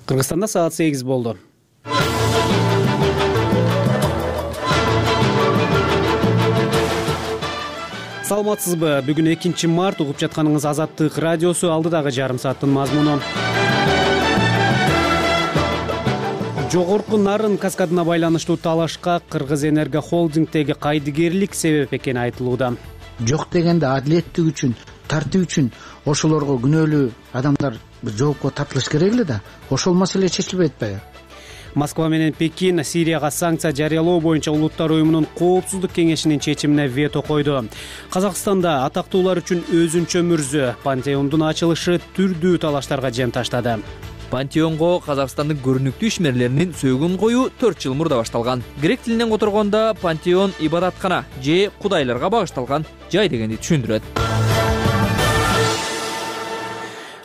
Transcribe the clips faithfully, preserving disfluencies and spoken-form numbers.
Кыргызстанда саат сегиз болду. Саламатсызбы? Бүгүн экинчи март, угуп жатканыңыз Азаттык радиосу, алдыдагы жарым сааттын мазмуну. Жогорку Нарын каскадына байланыштуу талашка Кыргыз Энерго холдингдеги кайдыгерлик себеп экени айтылууда. Жок дегенде адилеттик үчүн, тартип үчүн ошолорго күнөөлүү адамдар жоопко тартылыш керек эле да. Ошол маселе чечилбей атпайбы? Москва менен Пекин Сирияга санкция жарыялоо боюнча Улуттар уюмунун коопсуздук кеңешинин чечимине вето койду. Казакстанда атактуулар үчүн өзүнчө мүрзө пантеондун ачылышы түрдүү талаштарга жем таштады. Пантеонго Казакстандын көрүнүктүү ишмерлеринин сөөгүн коюу төрт жыл мурда башталган. Грек тилинен которгондо пантеон ибадаткана же кудайларга багышталган жай дегенди түшүндүрөт.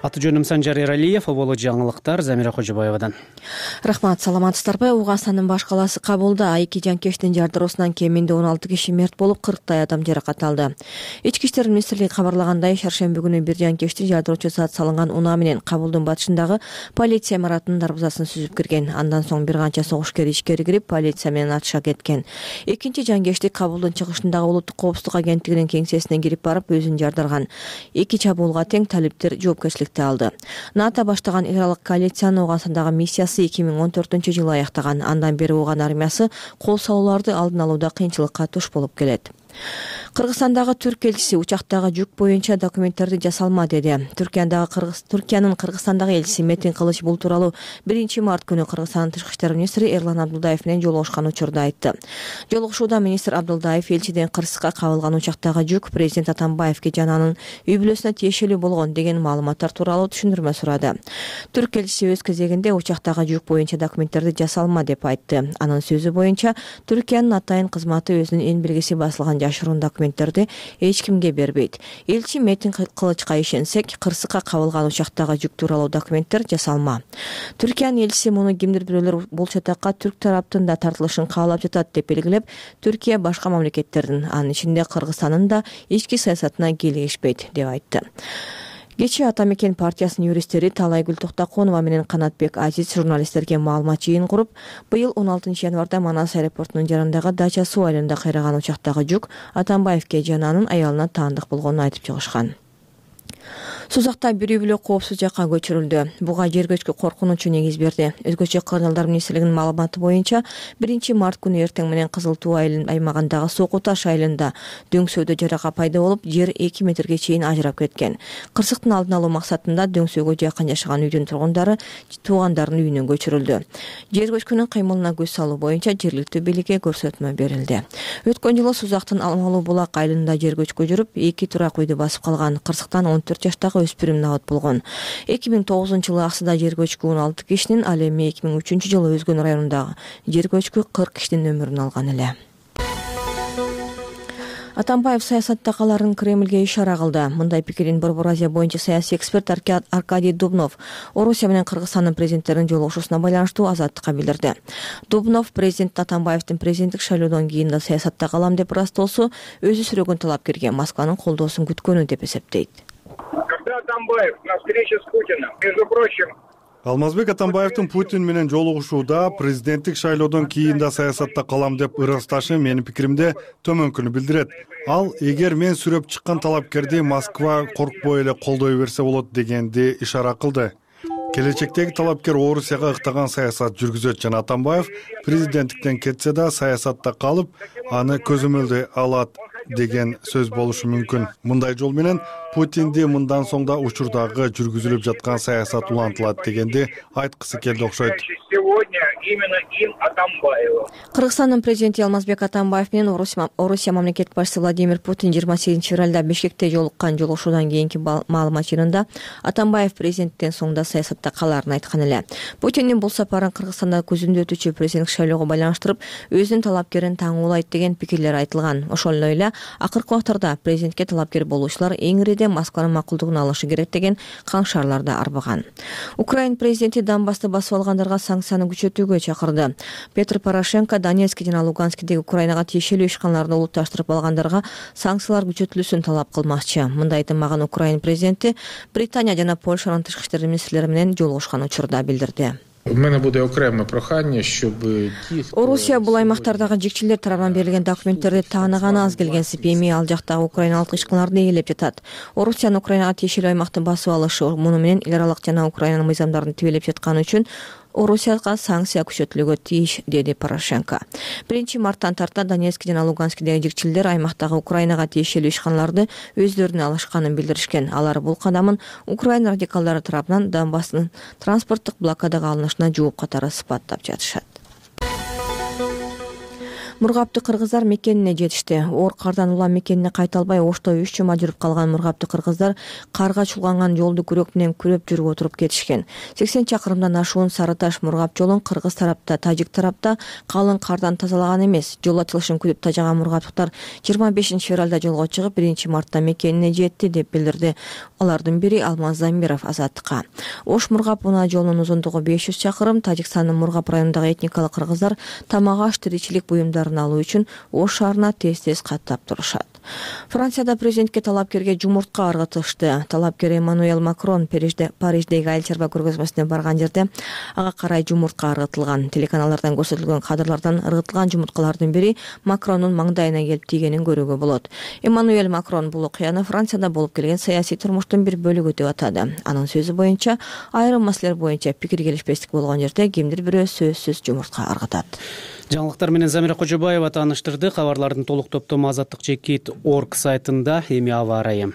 Аты жөнүм Санжар Эралиев, боло жаңылыктар Замира Кожобаевадан. Рахмат, саламатсыздарбы? Уганстандын баш калаасы Кабулда а эки жанкештин жардыроосунан кеминде он алты киши мерт болуп, кырктай адам жаракат алды. Ички иштер министрлиги кабарлагандай, шаршемби күнү бир жанкештин жардыроочу зат салынган унаа менен Кабулдун батышындагы полиция имаратынын дарбазасын сүзүп кирген. Андан соң бир канча согушкер ичкери кирип, полиция менен атыша кеткен. Экинчи жанкешти Кабулдун чыгышындагы улуттук коопсуздук агенттигинин кеңсесине кирип барып өзүн жардарган. Эки чабуулга тең талиптер жоопкерчиликти алды. НАТО баштаган эл аралык коалициянын Уганстандагы миссиясы эки миң он төртүнчү жылы аяктаган. Андан бери Уган армиясы кол салууларды алдын алууда кыйынчылыкка туш болуп келет. Кыргызстандагы түрк элчиси учактагы жүк боюнча документтерди жасалма деди. Түркиядагы Кыргыз Түркиянын Кыргызстандагы элчиси Метин Кылыч бул тууралуу биринчи март күнү Кыргызстандын тышкы иштер министри Эрлан Абдулдаев менен жолугушкан учурда айтты. Жолугушууда министр Абдулдаев элчиден Кырсыкка кабылган учактагы жүк президент Атамбаевге жана анын үй бүлөсүнө тиешелүү болгон деген маалыматтар тууралуу түшүндүрмө сурады. Түрк элчиси өз кезегинде учактагы жүк боюнча документтерди жасалма деп айтты. Анын сөзү боюнча Түркиянын атайын кызматы өзүнүн эң белгиси басылган жашыруун документтерди эч кимге бербейт. Элчи Метин Кылычка ишенсек, Кырсыкка кабылган учактагы жүк тууралуу документтер жасалма. Түркиянын элчиси муну кимдир бирөөлөр бул чатакка түрк тараптын да тартылышын каалап жатат деп белгилеп, Түркия башка мамлекеттердин, анын ичинде Кыргызстандын да ички саясатына келишпейт деп айтты. Кечээ Ата Мекен партиясынын юристтери Талайгүл Токтоконова менен Канатбек Азиз журналисттерге маалымат жыйын куруп, быйыл он алтынчы январда Манас аэропортунун жарандагы Дача суу айылында кыйраган учактагы жүк Атамбаевге жана анын аялына таандык болгонун айтып чыгышкан. Сузакта бир үй бүлө коопсуз жакка көчүрүлдү. Буга жер көчкү коркунучу негиз берди. Өзгөчө Кыргыздар министрлигинин маалыматы боюнча биринчи март күнү эртең менен Кызыл Туу аймагындагы Соку Таш айылында дөңсөөдө жарака пайда болуп, жер эки метрге чейин ажырап кеткен. Кырсыктын алдын алуу максатында дөңсөөгө жакын жашаган үйдүн тургундары туугандарынын үйүнө көчүрүлдү. Жер көчкүнүн кыймылына көз салуу боюнча жергиликтүү бийликке көрсөтмө берилди. Өткөн жылы Сузактын Алмалуу булак айылында жер көчкү жүрүп, эки турак үйдү басып калган. Кырсыктан он төрт жаштагы өспүрүм набат болгон. эки миң тогузунчу жылы Аксыда жер көчкү он алты кишинин, ал эми эки миң үчүнчү жылы Өзгөн районундагы жер көчкү кырк кишинин өмүрүн алган эле. Атамбаев саясатта каларын Кремлге ишара кылды. Мындай пикирин Борбор Азия боюнча саясий эксперт Аркадий Дубнов Орусия менен Кыргызстандын президенттеринин жолугушуусуна байланыштуу Азаттыкка билдирди. Дубнов президент Атамбаевдин президенттик шайлоодон кийин да саясатта калам деп ырастоосу өзү сүрөгөн талапкерге Москванын колдоосун күткөнү деп эсептейт. Атамбаев на встрече с Путиным, между прочим, Алмазбек Атамбаевдин Путин менен жолугушууда президенттик шайлоодон кийин да саясатта калам деп ырасташы менин пикиримде төмөнкүнү билдирет. Ал эгер мен сүрөп чыккан талапкерди Москва коркпой эле колдой берсе болот дегенди ишара кылды. Келечектеги талапкер Орусияга ыктаган саясат жүргүзөт жана Атамбаев президенттиктен кетсе да саясатта калып, аны көзөмөлдөй алат деген сөз болушу мүмкүн. Мындай жол менен Путинди мындан соң да учурдагы жүргүзүлүп жаткан саясат улантылат дегенди айткысы келди окшойт. Кыргызстандын президенти Алмазбек Атамбаев менен Орусия мамлекет башчысы Владимир Путин жыйырма сегизинчи февралда Бишкекте жолуккан жолугушуудан кийинки маалымат жыйынында Атамбаев президенттен соң да саясатта каларын айткан эле. Путиндин бул сапарын Кыргызстанда көзүндө өтүүчү президенттик шайлоого байланыштырып, өзүнүн талапкерин таңуулайт деген пикирлер айтылган. Ошол эле акыркы убактарда президентке талапкер болуучулар эң ириде Москванын макулдугун алышы керек деген каңшарлар да арбаган. Украин президенти Донбассты басып алгандарга санкцияны күчөтүүгө чакырды. Петр Порошенко Донецк жана Луганскдеги Украинага тиешелүү ишканаларды улутташтырып алгандарга санкциялар күчөтүлүүсүн талап кылмакчы. Мындай айтылмаган Украин президенти Британия жана Польшанын тышкы иштер министрлери менен жолугушкан учурда билдирди. У мене буде окреме прохання, щоб ті, хто... Орусия бул аймактардагы жикчилер тарабынан берилген документтерди тааныганы аз келгенсип, эми ал жактагы украиналык ишканаларды ээлеп жатат. Орусиянын Украинага тиешелүү аймакты басып алышы, муну менен эл аралык жана Украинанын мыйзамдарын тибелеп жатканы үчүн Орусияга санкция күчөтүлүүгө тийиш, деди Порошенко. биринчи марттан тарта Донецк жана Луганскдеги жикчилдер аймактагы Украинага тиешелүү ишканаларды өздөрүнө алышканын билдиришкен. Алар бул кадамын Украина радикалдары тарабынан Донбасстын транспорттук блокадага алынышына жооп катары сыпаттап жатышат. Мургапты кыргыздар мекенине жетишти. Оор кардан улам мекенине кайта албай Ошто үч жума жүрүп калган мургапты кыргыздар карга чулганган жолду күрөк менен күрөп жүрүп отуруп кетишкен. сексен чакырымдан ашуун Сары Таш мургап жолун кыргыз тарапта, тажик тарапта калың кардан тазалаган эмес. Жол ачылышын күтүп тажаган мургаптыктар жыйырма бешинчи февралда жолго чыгып, биринчи мартта мекенине жетти деп билдирди. Алардын бири Алмаз Замиров Азаттыкка. Ош мургап унаа жолунун узундугу беш жүз чакырым. Тажикстандын Мургап районундагы этникалык кыргыздар тамак аш, тиричилик буюмдары алуу үчүн Ош шаарына тез-тез каттап турушат. Францияда президентке талапкерге жумуртка ыргытышты. Талапкер Эммануэль Макрон Париждеги айыл чарба көргөзмөсүнө барган жерде ага карай жумуртка ыргытылган. Телеканалдардан көрсөтүлгөн кадрлардан ыргытылган жумурткалардын бири Макрондун маңдайына келип тийгенин көрүүгө болот. Эммануэль Макрон бул окуяны Францияда болуп келген саясий турмуштун бир бөлүгү деп атады. Анын сөзү боюнча, айрым маселелер боюнча пикир келишпестик болгон жерде кимдир бирөө сөзсүз жумуртка ыргытат. Жаңылыктар менен Замира Кожобаева тааныштырды. Кабарлардын толук топтому азаттык чекит точка орг сайтында. Эми аба ырайы.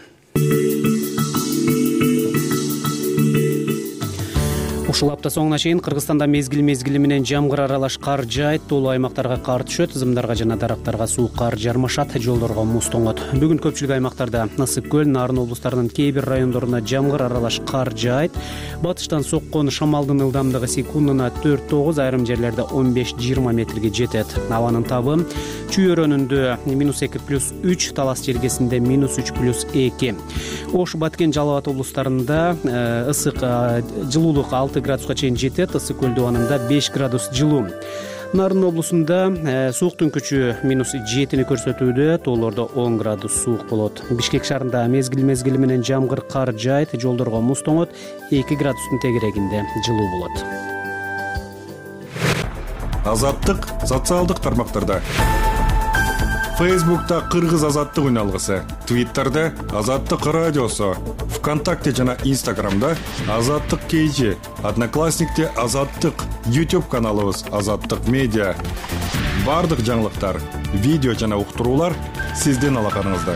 Ушул апта соңуна чейин Кыргызстанда мезгил-мезгили менен жамгыр аралаш кар жаайт, тоолуу аймактарга кар түшөт, зымдарга жана дарактарга суук кар жармашат, жолдорго муз тоңот. Бүгүн көпчүлүк аймактарда Ысык көл, Нарын облустарынын кээ бир райондоруна жамгыр аралаш кар жаайт. Батыштан соккон шамалдын ылдамдыгы секундуна төрт тогуз, айрым жерлерде он беш жыйырма метрге жетет. Абанын табы Чүй-өрөнүндө минус эки плюс үч, Талас жергесинде минус үч плюс эки. Ош, Баткен, Жалал Абад облустарында ысык жылуулук алты градуска чейин жетет, Ысык көл дубанында беш градус жылуу. Нарын облусунда сууктун күчү минус жетини көрсөтүүдө, тоолордо он градус суук болот. Бишкек шаарында мезгил-мезгили менен жамгыр кар жаайт, жолдорго муз тоңот, эки градустун тегерегинде жылуу болот. Азаттык социалдык тармактарда. Фейсбукта Кыргыз азаттык үналгысы, Твиттерде Азаттык радиосу, ВКонтакте жана Инстаграмда Азаттык кейжи, Одноклассникте Азаттык, YouTube каналыбыз Азаттык медиа. Бардык жаңылыктар, видео жана уктуруулар сиздин алаканыңызда.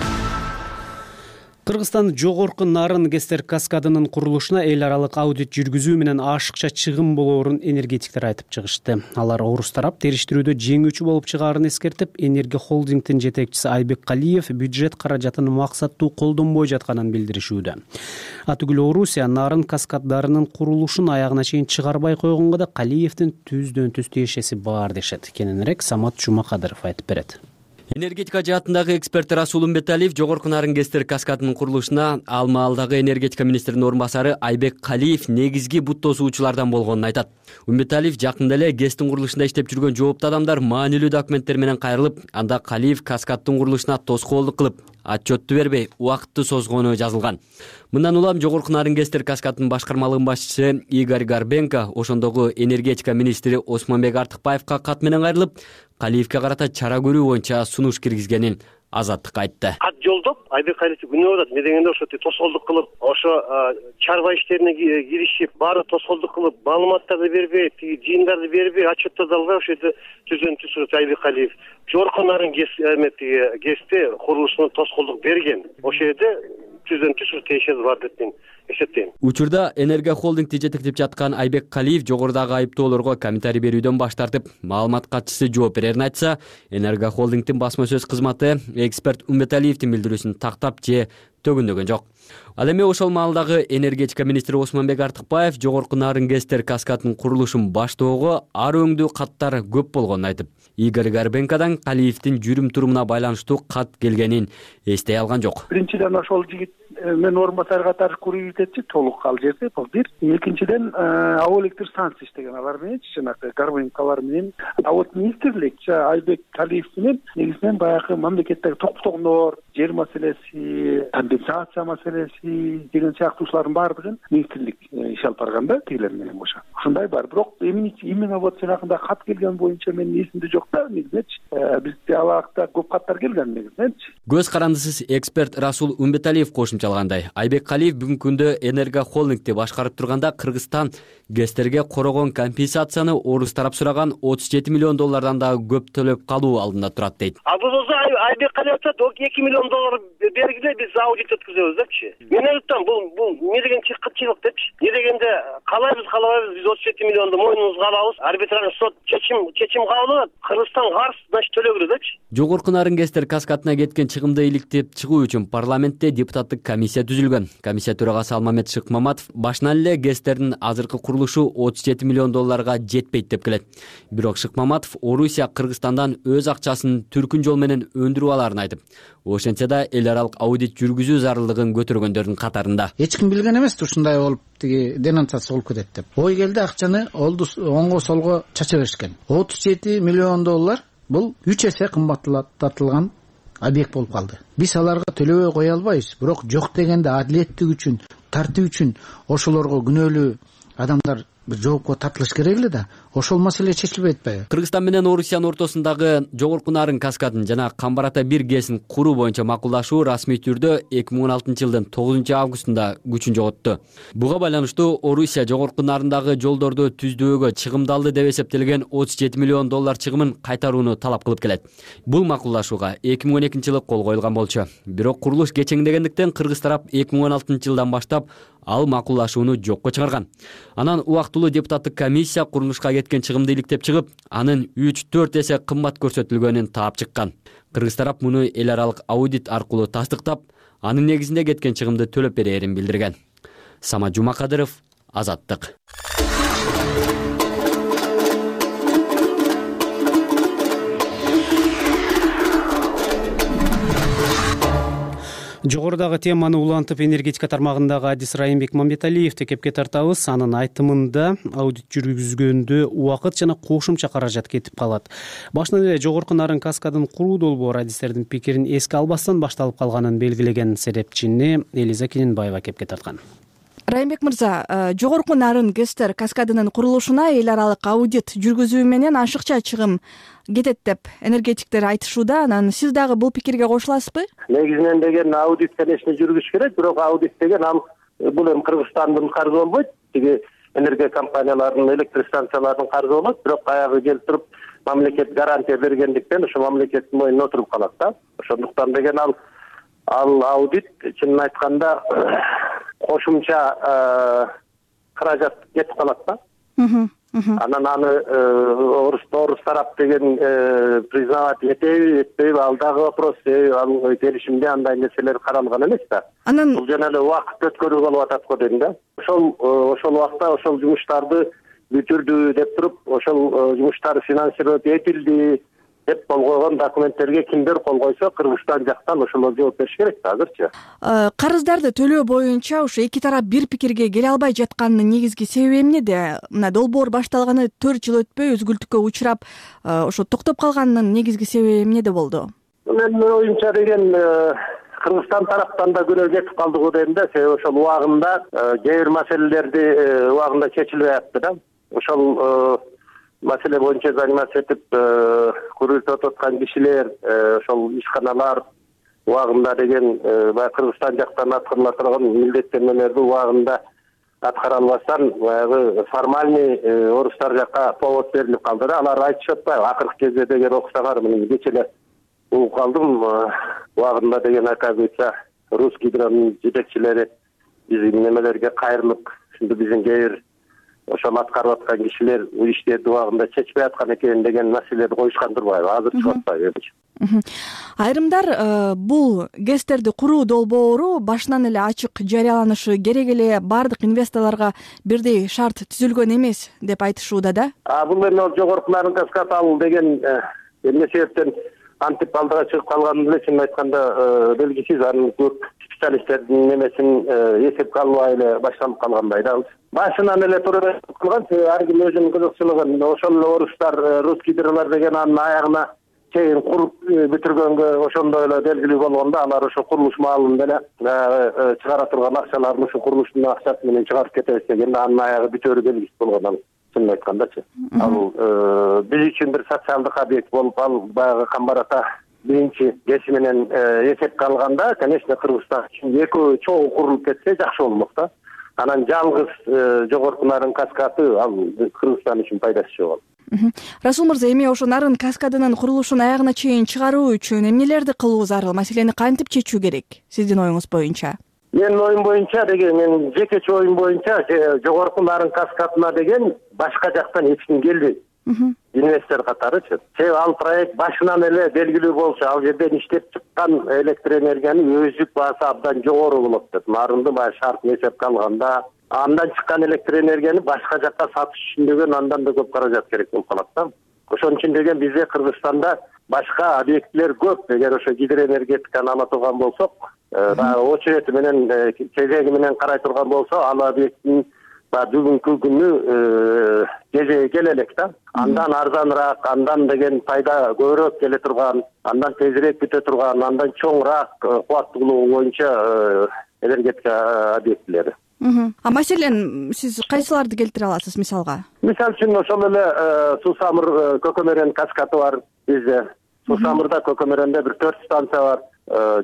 Кыргызстан жогорку Нарын Кестер каскадынын курулушуна эл аралык аудит жүргүзүү менен ашыкча чыгым болоорун энергетиктер айтып чыгышты. Алар орус тарап териштирүүдө жеңүүчү болуп чыгаарын эскертип, Энерго холдингдин жетекчиси Айбек Калиев бюджет каражатын максаттуу колдонбой жатканын билдиришүүдө. Атүгүл Орусия Нарын каскаддарынын курулушун аягына чейин чыгарбай койгонго да Калиевдин түздөн түз тиешеси бар дешет. Кененирээк Самат Жумакадыров айтып берет. Энергетика жаатындагы эксперт Расул Умбеталиев жогорку Нарын Кестер каскадынын курулушуна ал маалдагы энергетика министринин орун басары Айбек Калиев негизги бут тосуучулардан болгонун айтат. Умбеталиев жакында эле ГЭСтин курулушунда иштеп жүргөн жооптуу адамдар маанилүү документтер менен кайрылып, анда Калиев каскаддын курулушуна тоскоолдук кылып, отчетту бербей, убакытты созгону жазылган. Мындан улам жогорку Нарын Кестер каскадынын башкармалыгынын башчысы Игорь Горбенко ошондогу энергетика министри Осмонбек Артыкбаевка кат менен кайрылып, Калиевке карата чара көрүү боюнча сунуш киргизгенин Азаттыкка айтты. Кат жолдоп, Айбек Калиев күнөө атат, медегенде ошо тоскоолдук кылып, ошо чарба иштерине киришип, баары тоскоолдук кылып, маалыматтарды бербей, тиги жыйындарды бербей, отчеттарды албай ошо жерде түздөн түз Айбек Калиев жогорку Нарын Кестер курулушуна тоскоолдук берген. Ошо жерде түздөн түз тиешеси бар деп мен эсептейм. Учурда Энерго холдингди жетектеп жаткан Айбек Калиев жогорудагы айыптоолорго комментарий берүүдөн баш тартып, маалымат катчысы жооп берерин айтса, Энерго холдингдин басма сөз кызматы эксперт Умбеталиевдин билдирүүсүн тактап же төгүндөгөн жок. Ал эми ошол маалдагы энергетика министри Осмонбек Артыкбаев жогорку Нарын Кестер каскадынын курулушун баштоого ар өңдүү каттар көп болгонун айтып, Игорь Горбенкодан Калиевдин жүрүм турумуна байланыштуу кат келгенин эстей алган жок. Биринчиден ошол жигит мен орун басар катары курулуп кетти, толук ал жерде бул бир. Экинчиден аба электр станция иштеген алар менен, жанагы Горбенколор менен, а вот министрлик Айбек Калиев менен негизинен баягы мамлекеттеги токтогонор, жер маселеси, компенсация маселеси деген сыяктуушулардын баардыгын министрлик иш алып барганда тигилер менен кошо. ушундай бар. Бирок именно вот жанагындай кат келген боюнча менин эсимде жок да негизинечи. Бизде алакта көп каттар келген негизинечи. Көз карандысыз эксперт Расул Умбеталиев кошумчалагандай, Айбек Калиев бүгүнкү күндө Энерго холдингди башкарып турганда Кыргызстан ГЭСтерге корогон компенсацияны орус тарап сураган отуз жети миллион доллардан да көп төлөп калуу алдында турат дейт. А бул болсо Айбек Калиев айтат, эки миллион доллар бергиле, биз аудит өткүзөбүз депчи. Мен айтам, бул бул эмне деген чыккычылык депчи. Эмне дегенде калайбыз, калабайбыз, биз отуз жети миллионду мойнубузга алабыз. Арбитражный сот чечим чечим кабыл алат. Кыргызстан каршы, значит төлөө керек депчи. Жогорку нарын ГЭСтер каскадына кеткен чыгымды иликтеп чыгуу үчүн парламентте депутаттык комиссия түзүлгөн. Комиссия төрагасы Алмамет Шыкмаматов башынан эле ГЭСтердин азыркы курулушу отуз жети миллион долларга жетпейт деп келет. Бирок Шыкмаматов Орусия Кыргызстандан өз акчасын түркүн жол менен өндүрүп аларын айтып, ошентсе да эл аралык аудит жүргүзүү зарылдыгын көтөргөндөрдүн катарында. Эч ким билген эмес ушундай болуп тиги денонсация болуп кетет деп. Ой келди, акчаны олду оңго солго чача беришкен. отуз жети миллион доллар бул үч эсе кымбаттатылган объект болуп калды. Биз аларга төлөбөй кое албайбыз, бирок жок дегенде адилеттик үчүн, тартип үчүн ошолорго күнөөлүү адамдар жоопко тартылыш керек эле да. Ошол маселе чечилбей атпайбы? Кыргызстан менен Орусиянын ортосундагы Жогорку Нарын каскадын жана Камбар-Ата бир ГЭСин куруу боюнча макулдашуу расмий түрдө эки миң он алтынчы жылдын тогузунчу августунда күчүн жоготту. Буга байланыштуу Орусия Жогорку Нарындагы жолдорду түздүүгө чыгымдалды деп эсептелген отуз жети миллион доллар чыгымын кайтарууну талап кылып келет. Бул макулдашууга эки миң он экинчи жылы кол коюлган болчу. Бирок курулуш кечеңдегендиктен кыргыз тарап эки миң он алтынчы жылдан баштап ал макулдашууну жокко чыгарган. Анан убактылуу депутаттык комиссия курулушка кеткен чыгымды иликтеп чыгып, анын үч төрт эсе кымбат көрсөтүлгөнүн таап чыккан. Кыргыз тарап муну эл аралык аудит аркылуу тастыктап, анын негизинде кеткен чыгымды төлөп берерин билдирген. Самат Жумакадыров, Азаттык. Жогорудагы теманы улантып, энергетика тармагындагы адис Райымбек Мамбеталиевди кепке тартабыз. Анын айтымында аудит жүргүзгөндө убакыт жана кошумча каражат кетип калат. Башынан эле Жогорку Нарын каскадын куруу долбоору адистердин пикирин эске албастан башталып калганын белгилеген серепчини Элиза Кененбаева кепке тарткан. Райымбек мырза, Жогорку Нарын ГЭСтер каскадынын курулушуна эл аралык аудит жүргүзүү менен ашыкча чыгым кетет деп энергетиктер айтышууда. Анан сиз дагы бул пикирге кошуласызбы? Негизинен деген аудит, конечно, жүргүзүш керек, бирок аудит деген ал бул эми Кыргызстандын каржы болбойт. Тиги энергия компанияларынын, электр станцияларынын каржы болот, бирок аягы келип туруп мамлекет гарантия бергендиктен ошо мамлекеттин мойнуна отуруп калат да. Ошондуктан деген ал ал аудит чынын айтканда кошумча каражат кетип калат да. Анан аны орус орус тарап деген признавать этеби, этпейби, ал дагы вопрос. Ал келишимде андай нерселер каралган эмес да. Анан бул жана эле убакыт өткөрүү болуп атат го дейм да. Ошол ошол убакта ошол жумуштарды бүтүрдү деп туруп, ошол жумуштар финансировать этилди деп кол койгон документтерге кимдер кол койсо, Кыргызстан жактан ошолор жооп бериш керек да азырчы. Карыздарды төлөө боюнча ошо эки тарап бир пикирге келе албай жатканынын негизги себеби эмнеде? Мына долбоор башталганы төрт жыл өтпөй өзгүлтүккө учурап, ошо токтоп калганынын негизги себеби эмнеде болду? Менин оюмча деген Кыргызстан тараптан да күнөө кетип калды го дейм да. Себеби ошол убагында кээ бир маселелерди убагында чечилбей атты да. Ошол маселе боюнча заниматься этип көрүлүп аткан кишилер, ошол ишканалар убагында деген баягы Кыргызстан жактан аткарыла турган милдеттенмелерди убагында аткара албастан баягы формальный орустар жакка повод берилип калды да. Алар айтышып атпайбы? Акыркы кезде деген окусаңар, мына кече эле угуп калдым, убагында деген оказывается Русгидронун жетекчилери биздин немелерге кайрылып, ушинтип биздин кээ бир ошол аткарып аткан кишилер бул иштерди убагында чечпей аткан экен деген маселелерди коюшкан турбайбы? Азыр чыгып атпайбы? Айрымдар бул ГЭСтерди куруу долбоору башынан эле ачык жарыяланышы керек эле, бардык инвесторлорго бирдей шарт түзүлгөн эмес деп айтышууда да. А бул эми Жогорку Нарын каскад ал деген эмне себептен антип алдыга чыгып калганын эле чынын айтканда белгисиз. Анын көп специалисттердин немесин эсепке албай эле башталып калгандай да. Башынан эле туура кылган, ар ким өзүнүн кызыкчылыгын, ошол эле орустар Русгидролор деген анын аягына чейин куруп бүтүргөнгө ошондой эле белгилүү болгондо, алар ошо курулуш маалында эле чыгара турган акчаларын ошо курулуштун акчасы менен чыгарып кетебиз дегенде анын аягы бүтөөрү белгисиз болгон. чынын айткандачы. Ал биз үчүн бир социалдык объект болуп, ал баягы Камбар ата биринчи кеси менен эсепке алганда, конечно, Кыргызстан үчүн экөө чогуу курулуп кетсе жакшы болмок да. Анан жалгыз жогорку нарын каскады ал Кыргызстан үчүн пайдасы жок. Расул мырза, эми ошо нарын каскадынын курулушун аягына чейин чыгаруу үчүн эмнелерди кылуу зарыл? Маселени кантип чечүү керек сиздин оюңуз боюнча? Менин оюм боюнча деген, мен жекече оюм боюнча жогорку нарын каскадына деген башка жактан эч ким келбейт. Инвестор катарычы. Себеби ал проект башынан эле белгилүү болчу, ал жерден иштеп чыккан электр энергиянын өзүк баасы абдан жогору болот деп. Нарынды баягы шартын эсепке алганда, андан чыккан электр энергияны башка жакка сатыш үчүн деген андан да көп каражат керек болуп калат да. Ошон үчүн деген бизде Кыргызстанда башка объектилер көп. Эгер ошо гидроэнергетиканы ала турган болсок, дагы очерети менен, кезеги менен карай турган болсо, ал объекттин бүгүнкү күнү кезеги келе элек да. Андан арзаныраак, андан деген пайда көбүрөөк келе турган, андан тезирээк бүтө турган, андан чоңураак кубаттуулугу боюнча энергетика объектилери. А маселен сиз кайсыларды келтире аласыз мисалга? Мисалы үчүн ошол эле Суу-Самыр Көкөмөрөн каскады бар бизде. Суу-Самырда Көкөмөрөндө бир төрт станция бар.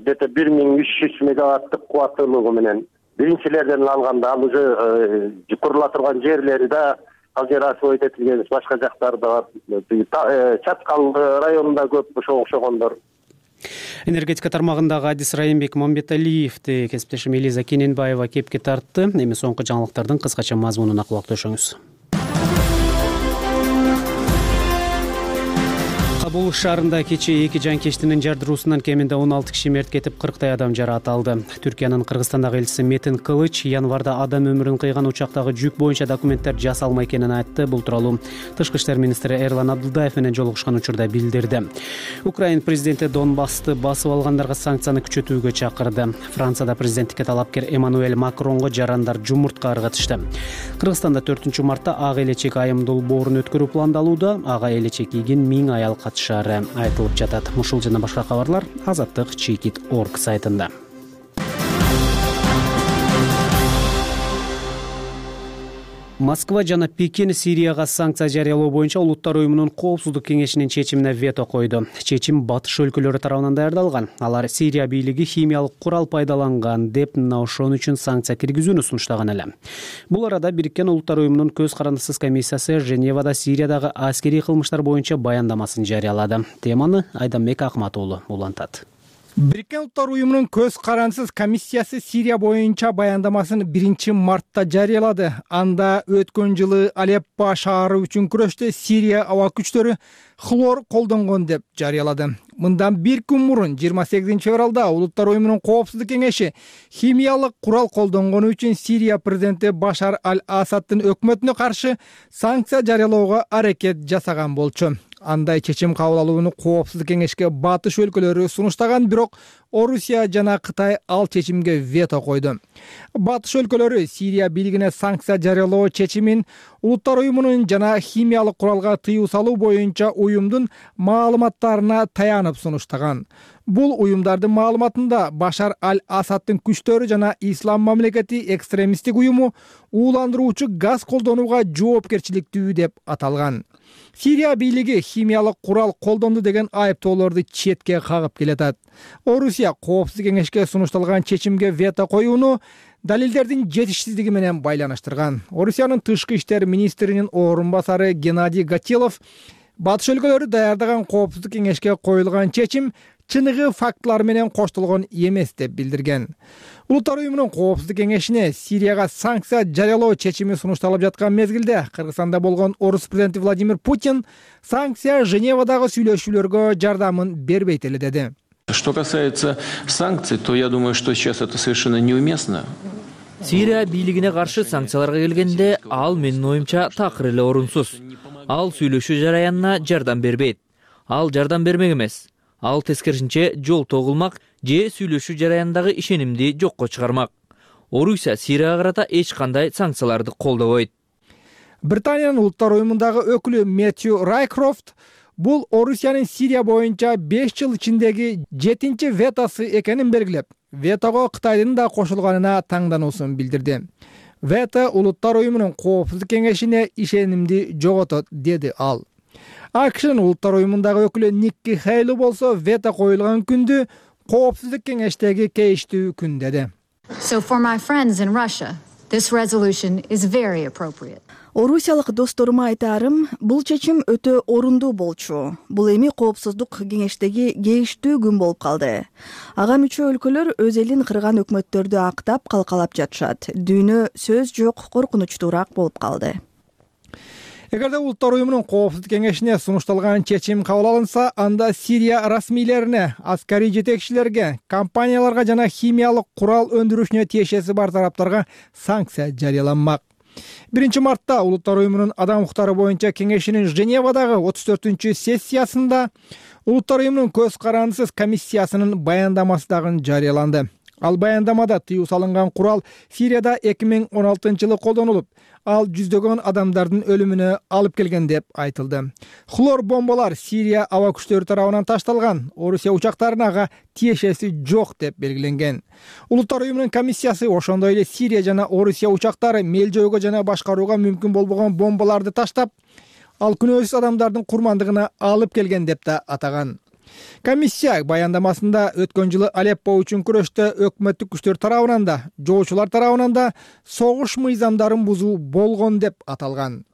Где-то бир миң үч жүз мегаваттык кубаттуулугу менен биринчилерден алганда, ал уже курула турган жерлери да, ал жер освоить этилген, башка жактары да бар. Чаткал районунда көп ошого окшогондор. Энергетика тармагындагы адис Райымбек Мамбеталиевди кесиптешим Элиза Кененбаева кепке тартты. Эми соңку жаңылыктардын кыскача мазмунуна кулак төшөңүз. Кабул шаарында кечээ эки жанкештинин жардыруусунан кеминде он алты киши мерт кетип, кырктай адам жараталды. Түркиянын Кыргызстандагы элчиси Метин Кылыч январда адам өмүрүн кыйган учактагы жүк боюнча документтер жасалмай экенин айтты. Бул тууралуу Тышкы иштер министри Эрлан Абдулдаев менен жолугушкан учурда билдирди. Украин президенти Донбассты басып алгандарга санкцияны күчөтүүгө чакырды. Францияда президенттикке талапкер Эммануэль Макронго жарандар жумуртка ыргытышты. Кыргызстанда төртүнчү мартта ак элечек айым долбоорун өткөрүү пландалууда. Ага элечек кийген миң аял катышаары айтылып жатат. Ушул жана башка кабарлар Азаттык Чекит точка орг сайтында. Москва жана Пекин Сирияга санкция жарыялоо боюнча Улуттар уюмунун Коопсуздук кеңешинин чечимине вето койду. Чечим батыш өлкөлөрү тарабынан даярдалган. Алар Сирия бийлиги химиялык курал пайдаланган деп мына ошон үчүн санкция киргизүүнү сунуштаган эле. Бул арада Бириккен Улуттар уюмунун көз карандысыз комиссиясы Женевада Сириядагы аскерий кылмыштар боюнча баяндамасын жарыялады. Теманы Айданбек Акматуулу улантат. Бириккен Улуттар уюмунун көз карандысыз комиссиясы Сирия боюнча баяндамасын биринчи мартта жарыялады. Анда өткөн жылы Алеппо шаары үчүн күрөштө Сирия аба күчтөрү хлор колдонгон деп жарыялады. Мындан бир күн мурун жыйырма сегизинчи февралда Улуттар уюмунун Коопсуздук кеңеши химиялык курал колдонгону үчүн Сирия президенти Башар аль-Асаддын өкмөтүнө каршы санкция жарыялоого аракет жасаган болчу. Андай чечим кабыл алууну Коопсуздук кеңешке батыш өлкөлөрү сунуштаган, бирок Орусия жана Кытай ал чечимге вето койду. Батыш өлкөлөрү Сирия бийлигине санкция жарыялоо чечимин Улуттар уюмунун жана химиялык куралга тыюу салуу боюнча уюмдун маалыматтарына таянып сунуштаган. Бул уюмдардын маалыматында Башар аль-Асаддын күчтөрү жана Ислам мамлекети экстремисттик уюму ууландыруучу газ колдонууга жоопкерчиликтүү деп аталган. Сирия бийлиги химиялык курал колдонду деген айыптоолорду четке кагып келатат. Орусия Коопсуздук кеңешке сунушталган чечимге вето коюуну далилдердин жетишсиздиги менен байланыштырган. Орусиянын тышкы иштер министринин орун басары Геннадий Гатилов батыш өлкөлөрү даярдаган Коопсуздук кеңешке коюлган чечим чыныгы фактылар менен коштолгон эмес деп билдирген. Улуттар уюмунун Коопсуздук кеңешине Сирияга санкция жарыялоо чечими сунушталып жаткан мезгилде Кыргызстанда болгон орус президенти Владимир Путин санкция Женевадагы сүйлөшүүлөргө жардамын бербейт эле деди. Что касается санкций, то я думаю, что сейчас это совершенно неуместно. Сирия бийлигине каршы санкцияларга келгенде ал менин оюмча такыр эле орунсуз. Ал сүйлөшүү жараянына жардам бербейт. Ал жардам бермек эмес. Ал тескерисинче жол тогулмак же сүйлөшүү жараянындагы ишенимди жокко чыгармак. Орусия Сирияга карата эч кандай санкцияларды колдобойт. Британиянын Улуттар уюмундагы өкүлү Мэтью Райкрофт бул Орусиянын Сирия боюнча беш жыл ичиндеги жетинчи ветосы экенин белгилеп, ветого Кытайдын да кошулганына таңдануусун билдирди. вето улуттар уюмунун коопсуздук кеңешине ишенимди жоготот, деди ал. АКШнын улуттар уюмундагы өкүлү Никки Хейли болсо вето коюлган күндү коопсуздук кеңештеги кейиштүү күн деди. So for my friends in Russia, this resolution is very appropriate. Орусиялык досторума айтаарым, бул чечим өтө орундуу болчу. Бул эми коопсуздук кеңештеги кейиштүү күн болуп калды. Ага мүчө өлкөлөр өз элин кырган өкмөттөрдү актап калкалап жатышат. Дүйнө сөз жок, коркунучтуураак болуп калды. Эгерде улуттар уюмунун коопсуздук кеңешине сунушталган чечим кабыл алынса, анда Сирия расмийлерине, аскарий жетекчилерге, компанияларга жана химиялык курал өндүрүшүнө тиешеси бар тараптарга санкция жарыяланмак. биринчи мартта улуттар уюмунун адам укуктары боюнча кеңешинин Женевадагы отуз төртүнчү сессиясында улуттар уюмунун көз карандысыз комиссиясынын баяндамасы дагы жарыяланды. Ал баяндамада тыюу салынган курал Сирияда эки миң он алтынчы жылы колдонулуп, ал жүздөгөн адамдардын өлүмүнө алып келген деп айтылды. Хлор бомбалар Сирия аба күчтөрү тарабынан ташталган, Орусия учактарына ага тиешеси жок деп белгиленген. Улуттар уюмунун комиссиясы ошондой эле Сирия жана Орусия учактары мел жоюуга жана башкарууга мүмкүн болбогон бомбаларды таштап, ал күнөөсүз адамдардын курмандыгына алып келген деп да атаган. Комиссия баяндамасында өткөн жылы Алеппо үчүн күрөштө өкмөттүк күчтөр тарабынан да, жоочулар тарабынан да согуш мыйзамдарын бузуу болгон деп аталган.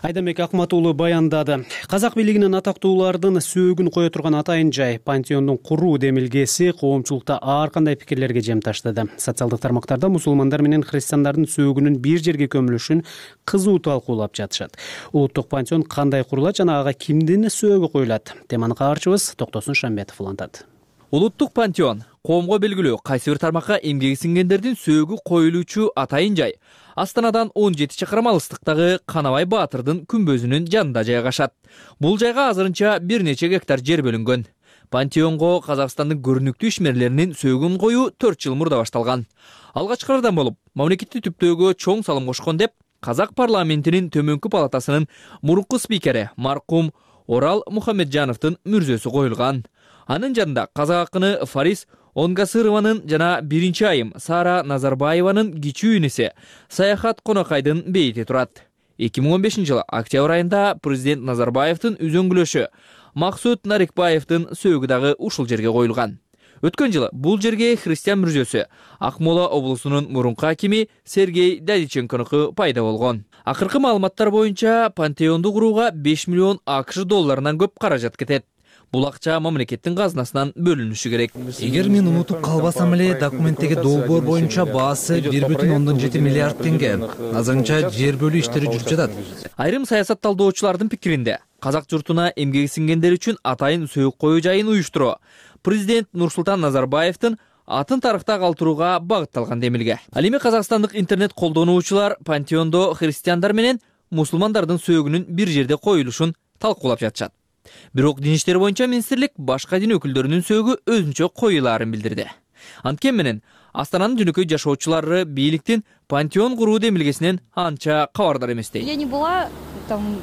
Айдамбек Акмат уулу баяндады. Казак бийлигинин атактуулардын сөөгүн кое турган атайын жай пантеондун куруу демилгеси коомчулукта ар кандай пикирлерге жем таштады. Социалдык тармактарда мусулмандар менен христиандардын сөөгүнүн бир жерге көмүлүшүн кызуу талкуулап жатышат. Улуттук пантеон кандай курулат жана ага кимдин сөөгү коюлат? Теманы каарчыбыз Токтосун Шамбетов улантат. Улуттук пантеон коомго белгилүү кайсы бир тармакка эмгеги сиңгендердин сөөгү коюлуучу атайын жай Астанадан он жети чакырым алыстыктагы Канабай Баатырдын күмбөзүнүн жанында жайгашат. Бул жайга азырынча бир нече гектар жер бөлүнгөн. Пантеонго Казакстандын көрүнүктүү ишмерлеринин сөөгүн коюу төрт жыл мурда башталган. Алгачкылардан болуп, мамлекетти түптөөгө чоң салым кошкон деп Казак парламентинин төмөнкү палатасынын мурунку спикери маркум Орал Мухамеджановдун мүрзөсү коюлган. Анын жанында казак акыны Фарис Онгасырованын жана биринчи айым Сара Назарбаеванын кичүү инеси Саяхат Конокайдын бейити турат. эки миң он бешинчи жылы октябрь айында президент Назарбаевдин үзөңгүлөшү Максут Нарикбаевдин сөөгү дагы ушул жерге коюлган. Өткөн жылы бул жерге христиан мүрзөсү Акмола облусунун мурунку акими Сергей Дадиченконуку пайда болгон. Акыркы маалыматтар боюнча пантеонду курууга беш миллион АКШ долларынан көп каражат кетет. Бул акча мамлекеттин казынасынан бөлүнүшү керек. Эгер мен унутуп калбасам эле, документтеги долбоор боюнча баасы бир бүтүн ондон жети миллиард теңге. Азырынча жер бөлүү иштери жүрүп жатат. Айрым саясат талдоочулардын пикиринде, казак журтуна эмгеги сиңгендер үчүн атайын сөөгү коюу жайын уюштуруу президент Нурсултан Назарбаевдин атын тарыхта калтырууга багытталган демилге. Ал эми казакстандык интернет колдонуучулар пантеондо христиандар менен мусулмандардын сөөгүнүн бир жерде коюлушун талкуулап жатышат. Бирок дин иштери боюнча министрлик башка дин өкүлдөрүнүн сөөгү өзүнчө коюлаарын билдирди. Анткени менен Астананын жөнөкөй жашоочулары бийликтин пантеон куруу демилгесинен анча кабардар эместей. Я не была там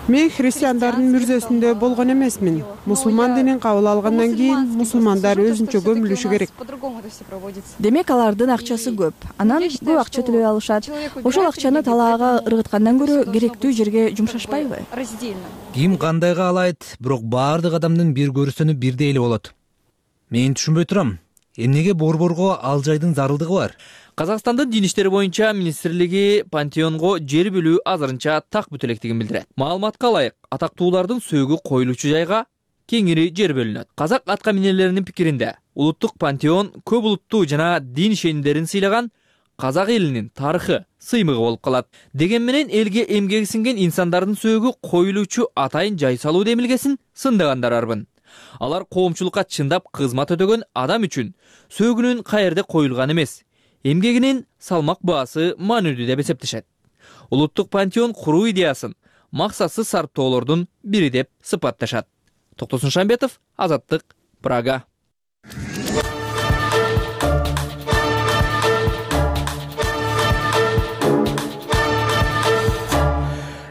Мен христиандардын мүрзөсүндө болгон эмесмин. Мусулман динин кабыл алгандан кийин мусулмандар өзүнчө көмүлүшү керек. Демек алардын акчасы көп. Анан көп акча төлөй алышат. Ошол акчаны талаага ыргыткандан көрө керектүү жерге жумшашпайбы? Ким кандай каалайт, бирок баардык адамдын бир көрүсөнү бирдей эле болот. Мен түшүнбөй турам. Эмнеге борборго ал жайдын зарылдыгы бар? Казакстандын дин иштери боюнча министрлиги пантеонго жер бөлүү азырынча так бүтө электигин билдирет. Маалыматка ылайык, атактуулардын сөөгү коюлуучу жайга кеңири жер бөлүнөт. Казак атка минерлеринин пикиринде, улуттук пантеон көп улуттуу жана дин ишенимдерин сыйлаган казак элинин тарыхы, сыймыгы болуп калат. Деген менен элге эмгеги сиңген инсандардын сөөгү коюлуучу атайын жай салуу демилгесин сындагандар арбын. Алар коомчулукка чындап кызмат өтөгөн адам үчүн сөөгүнүн каерде коюлган эмес, эмгегинин салмак баасы маанилүү деп эсептешет. Улуттук пантеон куруу идеясын максатсыз сарптоолордун бири деп сыпатташат. Токтосун Шамбетов, Азаттык, Прага.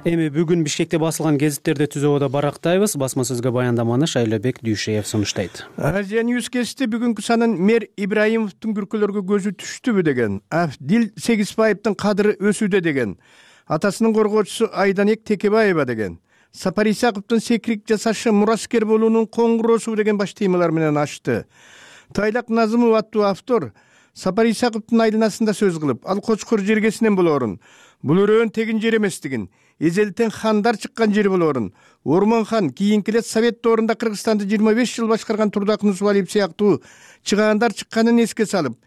Эми бүгүн Бишкекте басылган гезиттерди түзүүгө барактайбыз. Басма сөзгө баяндаманы Шайлобек Дүйшеев сунуштайт. Азия Ньюс кести бүгүнкү санын мэр Ибраимовдун күркөлөргө көзү түштүбү деген, Абдил Сегизбаевдин кадыры өсүүдө деген, атасынын коргоочусу Айданек Текебаева деген, Сапар Исаковдун секирик жасашы мураскер болуунун коңгуроосу деген баш темалар менен ачты. Тайлак Назымов аттуу автор Сапар Исаковдун айланасында сөз кылып, ал Кочкор жергесинен болоорун, бул өрөөн тегин жер эместигин, эзелтен хандар чыккан жер болоорун, Ормон хан кийинки эле Совет доорунда Кыргызстанды жыйырма беш жыл башкарган Турдак Нусубалиев сыяктуу чыгаандар чыкканын эске салып,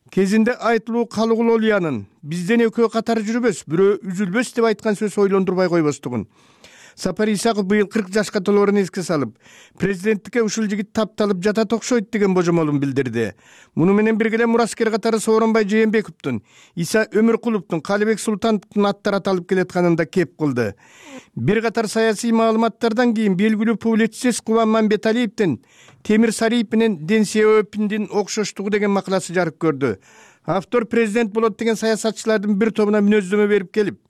кезинде айтылуу Калыгулолиянын бизден экөө катары жүрбөс, бирөө үзүлбөс деп айткан сөз ойлондурбай койбостугун. Сапар Исаков быйыл кырк жашка толоорун эске салып, президенттикке ушул жигит тапталып жатат окшойт деген божомолун билдирди. Муну менен бирге эле мураскер катары Сооронбай Жээнбековдун, Иса Өмүркуловдун, Калыбек Султановдун аттары аталып келатканын да кеп кылды. Бир катар саясий маалыматтардан кийин белгилүү публицист Кубан Мамбеталиевдин Темир Сариев менен Дэн Сяопиндин окшоштугу деген макаласы жарык көрдү. Автор президент болот деген саясатчылардын бир тобуна мүнөздөмө берип келип,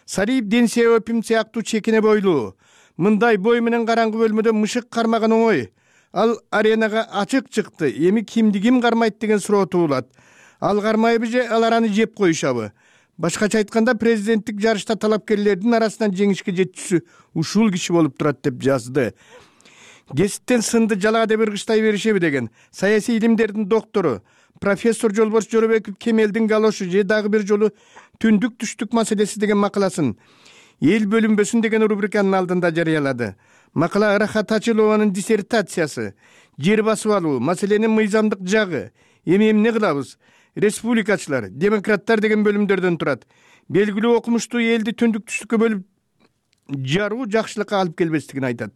Сариев Дэн Сяопин сыяктуу чекине бойлуу, мындай бой менен караңгы бөлмөдө мышык кармаган оңой. Ал аренага ачык чыкты. Эми кимди ким кармайт деген суроо туулат. Ал кармайбы же алар аны жеп коюшабы? Башкача айтканда, президенттик жарышта талапкерлердин арасынан жеңишке жетүүсү ушул киши болуп турат деп жазды. Гезиттен сынды жалаа деп ыргыштай беришеби деген саясий илимдердин доктору профессор Жолбош Жоробеков Кемелдин галошу же дагы бир жолу түндүк түштүк маселеси деген макаласын эл бөлүнбөсүн деген рубриканын алдында жарыялады. Макала Рахат Ачылованын диссертациясы, жер басып алуу, маселенин мыйзамдык жагы, эми эмне кылабыз, республикачылар, демократтар деген бөлүмдөрдөн турат. Белгилүү окумуштуу элди түндүк түштүккө бөлүп жаруу жакшылыкка алып келбестигин айтат.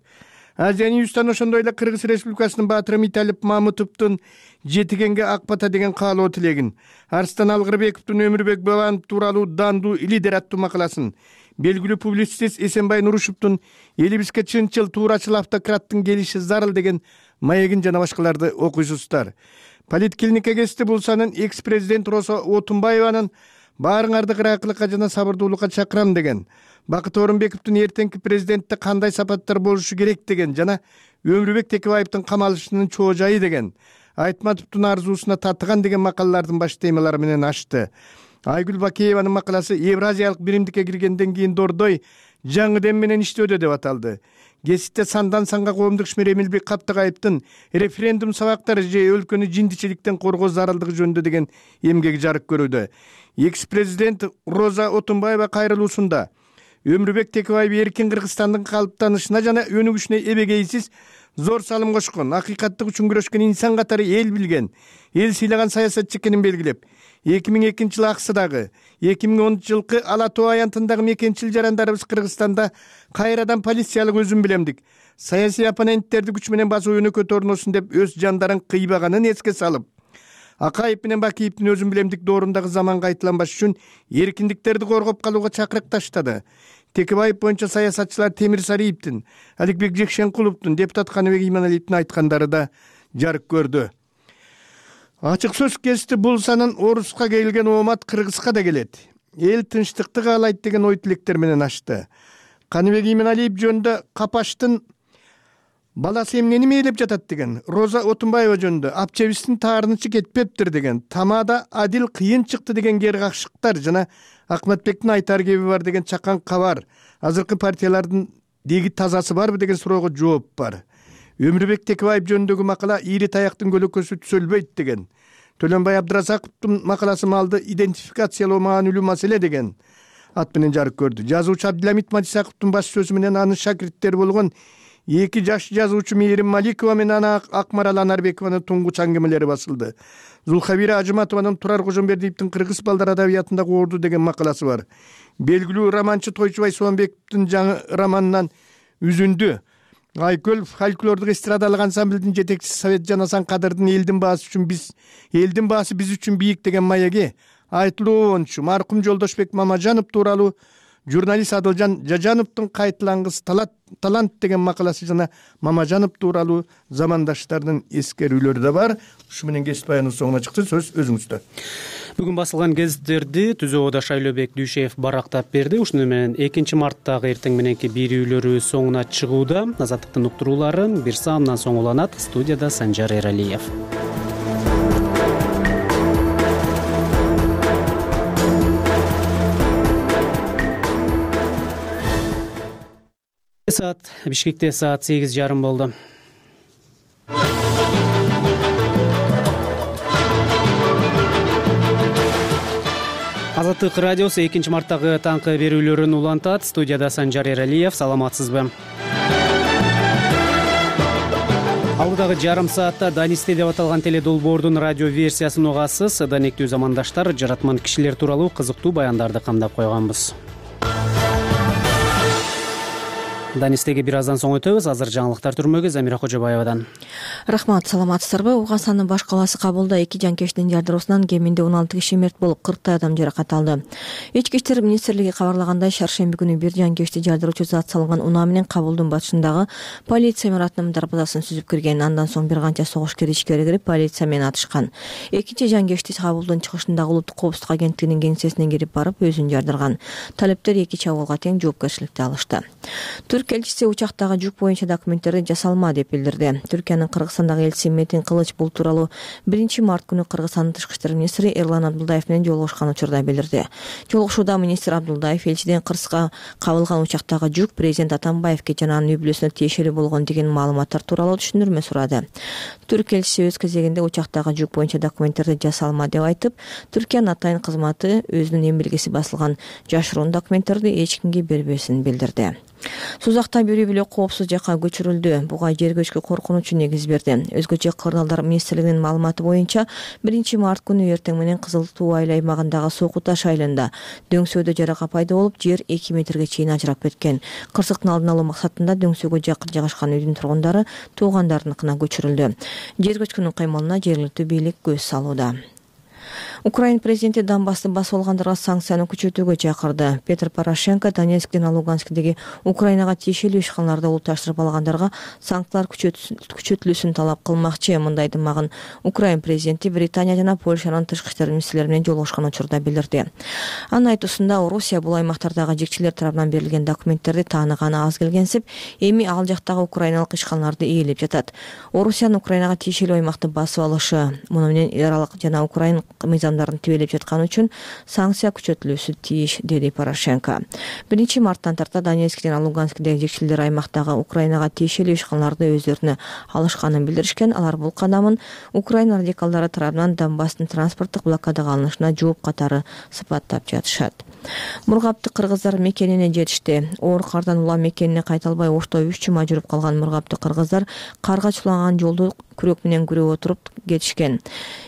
Азия Ньюстан ошондой эле Кыргыз Республикасынын баатыры Миталип Мамытовдун жетигенге ак бата деген каалоо тилегин, Арстан Алгырбековдун Өмүрбек Бабанов тууралуу дандуу лидер аттуу макаласын, белгилүү публицист Эсенбай Нурушевдун элибизге чынчыл туурачыл автократтын келиши зарыл деген маегин жана башкаларды окуйсуздар. Политклиника кести бул санын экс-президент Роза Отунбаеванын баарыңарды кыраакылыкка жана сабырдуулукка чакырам деген, Бакыт Орунбековдун эртеңки президентте кандай сапаттар болушу керек деген жана Өмүрбек Текебаевдин камалышынын чоо-жайы деген, Айтматовдун арзуусуна татыган деген макалалардын баш темалары менен ачты. Айгүл Бакееванын макаласы Евразиялык биримдикке киргенден кийин Дордой жаңы дем менен иштөөдө деп аталды. Гезитте сандан санга коомдук ишмер Эмилбек Каптыгаевдин референдум сабактары же өлкөнү жиндичиликтен коргоо зарылдыгы жөнүндө деген эмгеги жарык көрүүдө. Экс-президент Роза Отунбаева кайрылуусунда Өмүрбек Текебаев эркин Кыргызстандын калыптанышына жана өнүгүшүнө эбегейсиз зор салым кошкон, акыйкаттык үчүн күрөшкөн инсан катары эл билген, эл сыйлаган саясатчы экенин белгилеп, эки миң экинчи жылы Аксыдагы, эки миң онунчу жылкы Ала Тоо аянтындагы мекенчил жарандарыбыз Кыргызстанда кайрадан полициялык өзүм билемдик саясий оппоненттерди күч менен басуу өнөкөт орносун деп өз жандарын кыйбаганын эске салып, Акаев менен Бакиевдин өзүм билемдик доорундагы заманга айтыланбаш үчүн эркиндиктерди коргоп калууга чакырык таштады. Текебаев боюнча саясатчылар Темир Сариевдин, Аликбек Жекшенкуловдун, депутат Каныбек Иманалиевдин айткандары да жарык көрдү. Ачык сөз кести бул санын Оруска келген оомат Кыргызга да келет. Эл тынчтыкты каалайт деген ой тилектер менен ачты. Каныбек Иманалиев жөнүндө Капаштын баласы эмнени мээлеп жатат деген, Роза Отунбаева жөнүндө Апчебистин таарынычы кетпептир деген, Тамада адил кыйын чыкты деген кер какшыктар жана Акматбектин айтар кеби бар деген чакан кабар, азыркы партиялардын деги тазасы барбы деген суроого жооп бар. Өмүрбек Текебаев жөнүндөгү макала ийри таяктын көлөкөсү түзөлбөйт деген, Төлөнбай Абдыразаковдун макаласы малды идентификациялоо маанилүү маселе деген ат менен жарык көрдү. Жазуучу Абдиламит Мадисаковдун баш сөзү менен анын шакирттери болгон эки жаш жазуучу Мээрим Маликова менен ана Акмарал Анарбекованын туңгуч аңгемелери басылды. Зулхабира Ажыматованын Турар Кожомбердиевдин Кыргыз балдар адабиятындагы орду деген макаласы бар. Белгилүү романчы Тойчубай Соонбековдун жаңы романынан Үзүндү, Айкөл фольклордук эстрадалык ансамблдин жетекчиси Совет Жанасан Кадырдын элдин баасы үчүн биз, элдин баасы биз үчүн бийик деген маеги, айтылуу ончу маркум Жолдошбек Мамажанов тууралуу журналист Адылжан Жажановдун Кайтылангыс талант деген макаласы жана Мамажанов тууралуу замандаштардын эскерүүлөрү да бар. Ушу менен кесип баянын соңуна чыкты. Сөз өзүңүздө. Бүгүн басылган гезиттерди түзүүбүдө Шайлообек Дүйшеев барактап берди. Ушуну менен экинчи марттагы эртең мененки берүүлөрү соңуна чыгууда. Азаттыктын уктуруулары бир саамдан соң уланат. Студияда Санжар Эралиев. Саат Бишкекте саат сегиз жарым болду. Азаттык радиосу экинчи марттагы таңкы берүүлөрүн улантат. Студияда Санжар Эралиев. Саламатсызбы? Алдыдагы жарым саатта Данисте деп аталган теледолбоордун радио версиясын угасыз. Данектүү замандаштар, жаратман кишилер тууралуу кызыктуу баяндарды камдап койгонбуз. Данистеге бир аздан соң өтөбүз. Азыр жаңылыктар түрмөгү Замира Кожобаевадан. Рахмат, саламатсыздарбы? Угандын баш калаасы Кабулда эки жанкечтин жардыруусунан кеминде он алты киши мерт болуп, кырктай адам жаракат алды. Ички иштер министрлиги кабарлагандай, шаршемби күнү бир жанкечти жардыруучу зат салынган унаа менен Кабулдун батышындагы полиция имаратынын дарбазасын сүзүп кирген. Андан соң бир канча согушкер ичкери кирип, полиция менен атышкан. Экинчи жанкечти Кабулдун чыгышындагы улуттук коопсуздук агенттигинин кеңсесине кирип барып, өзүн жардырган. Талептер эки чабуулга тең жоопкерчиликти алышты. Элчиси учактагы жүк боюнча документтерди жасалма деп билдирди. Түркиянын Кыргызстандагы элчиси Метин Кылыч бул тууралуу биринчи март күнү Кыргызстандын тышкы иштер министри Эрлан Абдулдаев менен жолугушкан учурда билдирди. Жолугушууда министр Абдулдаев элчиден Кыргызга кабылган учактагы жүк президент Атамбаевге жана анын үй-бүлөсүнө тиешелүү болгон деген маалыматтар тууралуу түшүндүрмө сурады. Түрк элчиси өз кезегинде учактагы жүк боюнча документтерди жасалма деп айтып, Түркиянын атайын кызматы өзүнүн эмбелгеси басылган жашыруун документтерди эч кимге бербесин билдирди. Сузакта бирөө бүлө коопсуз жакка көчүрүлдү. Буга жер көчкү коркунучу негиз берди. Өзгөчө Кырдаалдар министрлигинин маалыматы боюнча биринчи март күнү эртең менен Кызыл Туу айыл аймагындагы Сокку Таш айылында дөңсөөдө жарака пайда болуп, жер эки метрге чейин ажырап кеткен. Кырсыктын алдын алуу максатында дөңсөөгө жакын жайгашкан үйдүн тургундары туугандарыныкына көчүрүлдү. Жер көчкүнүн кыймылына жергиликтүү бийлик көз салууда. Украин президенти Донбассты басып алгандарга санкцияны күчөтүүгө чакырды. Петр Порошенко Донецк жана Луганскдеги Украинага тиешелүү ишканаларды улутташтырып алгандарга санкциялар күчөтүлүүсүн талап кылмакчы. Мындай дымагын Украин президенти Британия жана Польшанын тышкы иштер министрлери менен жолугушкан учурда билдирди. Анын айтуусунда, Орусия бул аймактардагы жекчелер тарабынан берилген документтерди тааныганы аз келгенсип, эми ал жактагы украиналык ишканаларды ээлеп жатат. Орусиянын Украинага тиешелүү аймакты басып алышы, муну менен эл аралык жана Украин мыйзамдарын тебелеп жаткан үчүн санкция күчөтүлүүсү тийиш, деди Порошенко. биринчи марттан тарта Донецк жана Луганскдеги жекчелер аймактагы Украинага тиешелүү ишканаларды өздөрүнө алышканын билдиришкен. Алар бул кадамын Украина радикалдары тарабынан Донбасстын транспорттук блокадага алынышына жооп катары сыпаттап жатышат. Мургапты кыргыздар мекенине жетишти. Оор кардан улам мекенине кайта албай ошто үч жума жүрүп калган мургапты кыргыздар карга чулаган жолду күрөк менен күрөп отуруп кетишкен.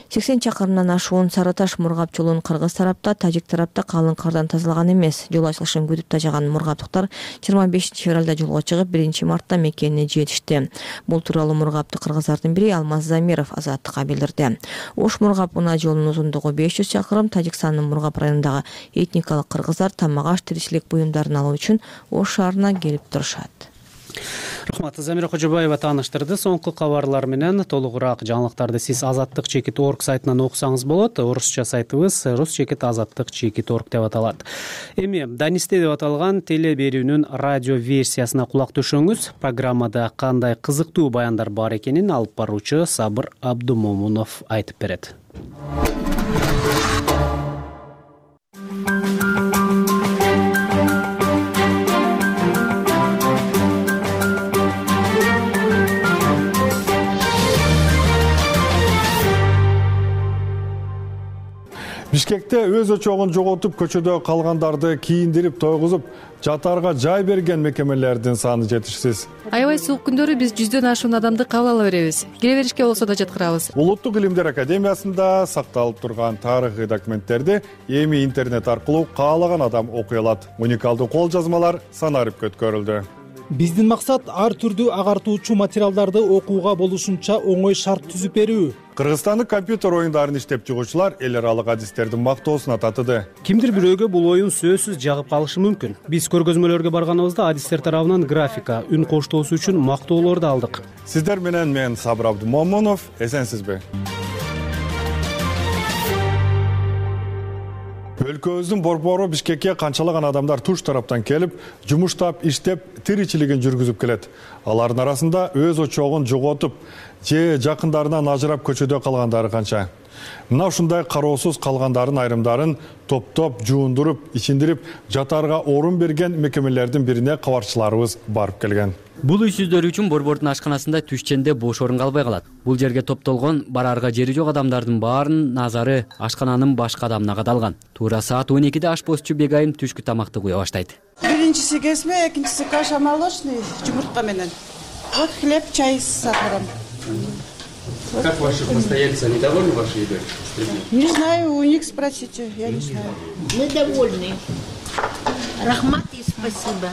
сексен чакырымдан ашуун Сары Таш Мургап жолун кыргыз тарапта, тажик тарапта калың кардан тазалаган эмес. Жол ачылышын күтүп тажаган мургаптыктар жыйырма бешинчи февралда жолго чыгып, биринчи мартта мекенине жетишти. Бул тууралуу мургапты кыргыздардын бири Алмаз Замиров Азаттыкка билдирди. Ош Мургап унаа жолунун узундугу беш жүз чакырым. Тажикстандын Мургап районундагы этникалык кыргыздар тамак-аш, тиричилик буюмдарын алуу үчүн Ош шаарына келип турушат. Рахмат. Замира Кожобаева тааныштырды. Соңку кабарлар менен толугураак жаңылыктарды сиз азаттык чекит точка орг сайтынан окусаңыз болот. Орусча сайтыбыз рус чекит азаттык чекит точка орг деп аталат. Эми Данисте деп аталган теле берүүнүн радио версиясына кулак түшөңүз. Программада кандай кызыктуу баяндар бар экенин алып баруучу Сабыр Абдумомунов айтып берет. Бишкекте өз очогун жоготуп, көчөдө калгандарды кийиндирип, тойгузуп, жатаарга жай берген мекемелердин саны жетишсиз. Аябай суук күндөрү биз жүздөн ашуун адамды кабыл ала беребиз. Кире беришке болсо да жаткырабыз. Улуттук илимдер академиясында сакталып турган тарыхый документтерди эми интернет аркылуу каалаган адам окуй алат. Уникалдуу кол жазмалар санарып көткөрүлдү. Биздин максат ар түрдүү агартуучу материалдарды окууга болушунча оңой шарт түзүп берүү. Кыргызстандык компьютер оюндарын иштеп чыгуучулар эл аралык адистердин мактоосуна татыды. Кимдир бирөөгө бул оюн сөзсүз жагып калышы мүмкүн. Биз көргөзмөлөргө барганыбызда адистер тарабынан графика, үн коштоосу үчүн мактоолорду алдык. Сиздер менен мен Сабыр Абдумомунов, эсенсизби? Өлкөбүздүн борбору Бишкекке канчалаган адамдар туш тараптан келип, жумуштап, иштеп, тиричилигин жүргүзүп келет. Алардын арасында өз очогун жоготуп, же жакындарынан ажырап көчөдө калгандары канча. Мына ушундай кароосуз калгандардын айрымдарын топтоп, жуундуруп, ичиндирип, жатаарга орун берген мекемелердин бирине кабарчыларыбыз барып келген. Бул үйсүздөр үчүн борбордун ашканасында түшченде бош орун калбай калат. Бул жерге топтолгон бараарга жери жок адамдардын баарынын назары ашкананын башка адамына кадалган. Туура саат он экиде ашпозчу Бегайым түшкү тамакты куя баштайт. Биринчиси kesme, экинчиси каша молочный, жумуртка менен. Вот хлеб, чай с сахаром. Как ваши постояльцы, они довольны вашей едой? Не знаю, у них спросите, я не знаю. Мы довольны. Рахмат и спасибо.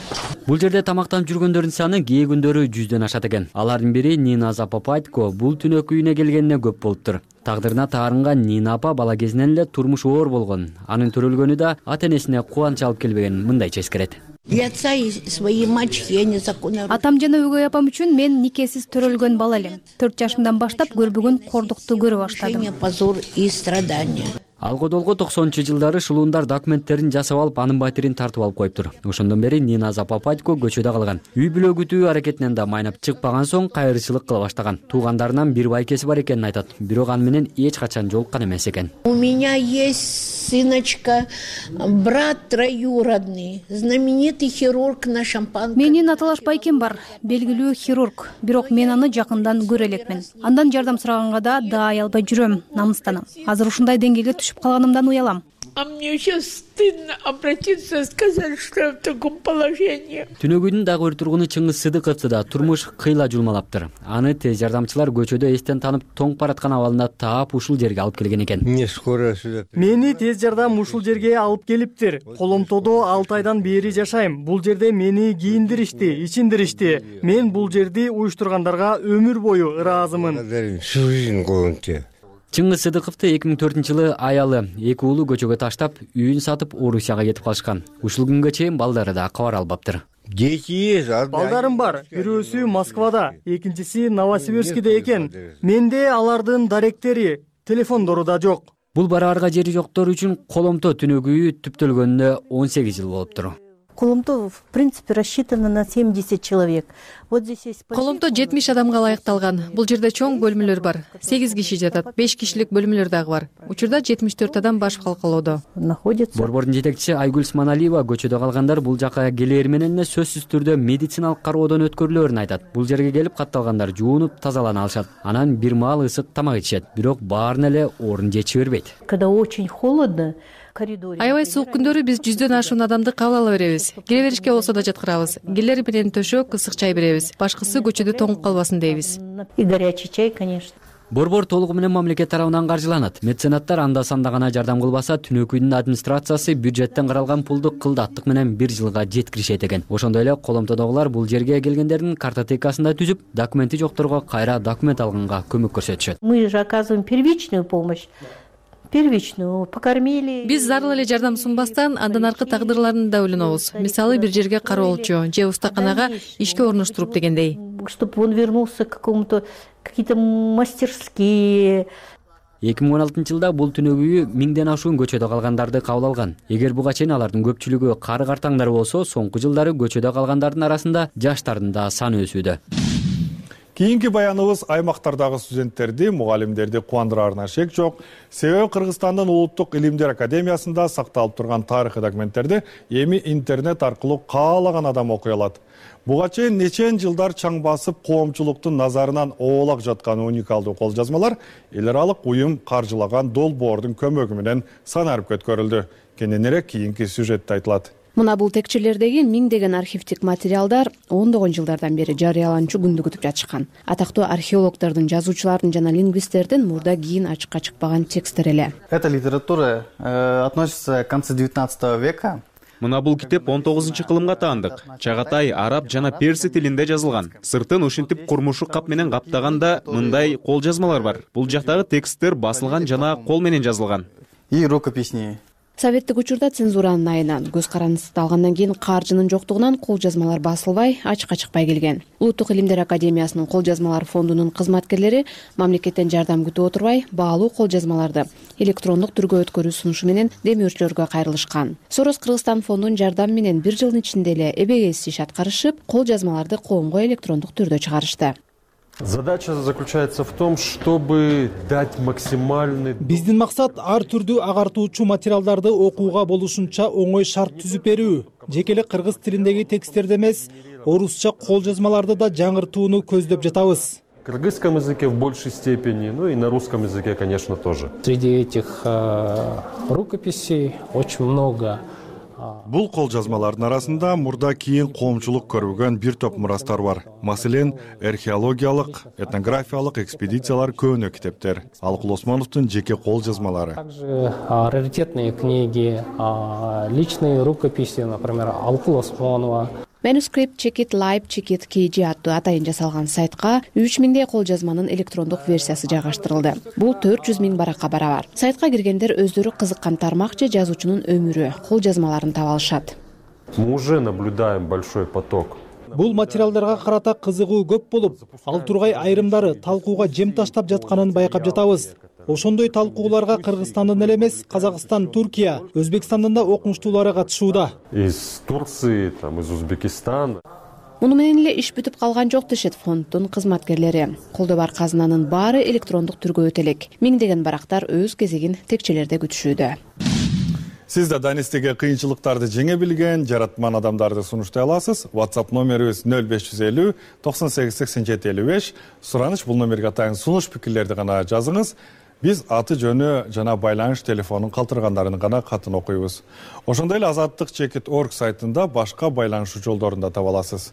Бул жерде тамактанып жүргөндөрдүн саны кээ күндөрү жүздөн ашат экен. Алардын бири Нина Запапатько бул түнөкү үйүнө келгенине көп болуптур. Тагдырына таарынган Нина апа бала кезинен эле турмуш оор болгон. Анын төрөлгөнү да ата-энесине кубанч алып келбеген, мындайча эскерет. Для отца и своей мачехи я незаконно. Атам жана өгөй апам үчүн мен никесиз төрөлгөн бала элем. төрт жашымдан баштап көрбөгөн кордукту көрө баштадым. Позор и страдания. Алгодолго токсонунчу жылдары шулуундар документтерин жасап алып, анын батирин тартып алып коюптур. Ошондон бери Нина Запапатько көчөдө калган. Үй бүлө күтүү аракетинен да майнап чыкпаган соң кайрычылык кыла баштаган. Туугандарынан бир байкеси бар экенин айтат. Бирок аны менен эч качан жолуккан эмес экен. У меня есть сыночка, брат троюродный, знаменитый хирург на Шампанском. Менин аталаш байкем бар, белгилүү хирург. Бирок мен аны жакындан көрө элекмин. Андан жардам сураганга да даай албай жүрөм, намыстанам. Азыр ушундай деңгээлге түшүп калганымдан уялам. А мне сейчас стыдно обратиться и сказать, что я в таком положении. Түнөгүдүн дагы бир тургуну Чыңгыз Сыдыковду да турмуш кыйла жулмалаптыр. Аны тез жардамчылар көчөдө эстен таанып тоңуп бараткан абалында таап ушул жерге алып келген экен. Мени тез жардам ушул жерге алып келиптир. Коломтодо алты айдан бери жашайм. Бул жерде мени кийиндиришти, ичиндиришти. Мен бул жерди уюштургандарга өмүр бою ыраазымын. Чыңгыз Сыдыковду эки миң төртүнчү жылы аялы, эки уулу көчөгө таштап, үйүн сатып Орусияга кетип калышкан. Ушул күнгө чейин балдары да кабар албаптыр. Балдарым бар. Бирөөсү Москвада, экинчиси Новосибирскиде экен. Менде алардын даректери, телефондору да жок. Бул бараарга жери жоктор үчүн Коломто түнөгү үй түптөлгөнүнө он сегиз жыл болуптур. Коломто, в принципе, рассчитано на семьдесят человек. Вот здесь есть... Коломто жетимиш адамга ылайыкталган. Бул жерде чоң бөлмөлөр бар. сегиз киши жатат, беш кишилик бөлмөлөр дагы бар. Учурда жетимиш төрт адам баш калкалоодо находится. Борбордун жетекчиси Айгүл Сманалиева көчөдө калгандар бул жака келээр менен эле сөзсүз түрдө медициналык кароодон өткөрүлөөрүн айтат. Бул жерге келип катталгандар жуунуп, тазалана алышат. Анан бир маал ысык тамак ичишет. Бирок баарына эле орун жетиши бербейт. Когда очень холодно, аябай суук күндөрү биз жүздөн ашуун адамды кабыл ала беребиз. Келе беришке болсо да жаткырабыз. Келер менен төшөк, ысык чай беребиз. Башкысы көчөдө тоңуп калбасын дейбиз. И горячий чай, конечно. Борбор толугу менен мамлекет тарабынан каржыланат. Меценаттар анда санда гана жардам кылбаса, түнөкүйдүн администрациясы бюджеттен каралган пулду кылдаттык менен бир жылга жеткиришет экен. Ошондой эле Коломтодогулар бул жерге келгендердин картотекасында түзүп, документи жокторго кайра документ алганга көмөк көрсөтүшөт. Мы же оказываем первичную помощь. Первичную покормили. Биз зарыл эле жардам сунбастан андан аркы тагдырларын да ойлонобуз. Мисалы бир жерге кароолчу же устаканага ишке орноштуруп дегендей. Чтобы он вернулся к какому-то какие-то мастерские. эки миң он алтынчы жылда бул түнөгү үй миңден ашуун көчөдө калгандарды кабыл алган. Эгер буга чейин алардын көпчүлүгү кары картаңдар болсо, соңку жылдары көчөдө калгандардын арасында жаштардын да саны өсүүдө. Кийинки баяныбыз аймактардагы студенттерди, мугалимдерди кубандыраарына шек жок. Себеби Кыргызстандын Улуттук илимдер академиясында сакталып турган тарыхый документтерди эми интернет аркылуу каалаган адам окуй алат. Буга чейин нечен жылдар чаң басып коомчулуктун назарынан оолак жаткан уникалдуу кол жазмалар эл аралык уюм каржылаган долбоордун көмөгү менен санарып өткөрүлдү. Кененирээк кийинки сюжетте айтылат. Мына бул текчелердеги миңдеген архивдик материалдар ондогон жылдардан бери жарыяланчу күндү күтүп жатышкан. Атактуу археологдордун, жазуучулардын жана лингвисттердин мурда кийин ачыкка чыкпаган тексттер эле. Эта литература э, относится к концу девятнадцатого века. Мына бул китеп он тогузунчу кылымга таандык. Чагатай араб жана перси тилинде жазылган. Сыртын ушинтип курмушу кап менен каптаганда мындай кол жазмалар бар. Бул жактагы тексттер басылган жана кол менен жазылган. И рукописные. Советтик учурда цензуранын айынан, көз карандысты алгандан кийин каржынын жоктугунан кол жазмалар басылбай, ачыкка чыкпай келген. Улуттук илимдер академиясынын кол жазмалар фондунун кызматкерлери мамлекеттен жардам күтүп отурбай, баалуу кол жазмаларды электрондук түргө өткөрүү сунушу менен демөөрчүлөргө кайрылышкан. Сорос Кыргызстан фондунун жардамы менен бир жылдын ичинде эле эбегейсиз иш аткарышып, кол жазмаларды коомго электрондук түрдө чыгарышты. Задача заключается в том, чтобы дать максимальный... Биздин максат ар түрдүү агартуучу материалдарды окууга болушунча оңой шарт түзүп берүү. Жеке эле кыргыз тилиндеги тексттерди эмес, орусча кол жазмаларды да жаңыртууну көздөп жатабыз. В кыргызском языке в большей степени, ну и на русском языке, конечно, тоже. Среди этих э, рукописей очень много... Бул кол жазмалардын арасында мурда кийин коомчулук көрбөгөн бир топ мурастар бар. Маселен, археологиялык, этнографиялык экспедициялар көөнө китептер. Алыкул Осмоновдун жеке кол жазмалары. Также раритетные книги, личные рукописи, например, Алыкул Осмонова. Manuscript Checkit Live Checkit кей джи аттуу атайын жасалган сайтка үч миңдей кол жазманын электрондук версиясы жайгаштырылды. Бул төрт жүз миң баракка барабар. Сайтка киргендер өздөрү кызыккан тармак же жазуучунун өмүрү, кол жазмаларын таба алышат. Мы уже наблюдаем большой поток. Бул материалдарга карата кызыгуу көп болуп, ал тургай айрымдары талкууга жем таштап жатканын байкап жатабыз. Ошондой талкууларга Кыргызстандын эле эмес, Казакстан, Туркия, Өзбекстандын да окумуштуулары катышууда. Из Турции, там, из Узбекистана. Муну менен эле иш бүтүп калган жок дешет фонддун кызматкерлери. Колдо бар казынанын баары электрондук түргө өтө элек. Миңдеген барактар өз кезегин текчелерде күтүшүүдө. Сиз да данистеге кыйынчылыктарды жеңе билген, жаратман адамдарды сунуштай аласыз. WhatsApp номерибиз нөл беш жүз элүү токсон сегиз сексен жети элүү беш. Сураныч бул номерге атайын сунуш пикирлерди гана жазыңыз. Биз аты жөнү жана байланыш телефонун калтыргандарын гана катын окуйбуз. Ошондой эле азаттык чекит точка орг сайтында башка байланышуу жолдорун да таба аласыз.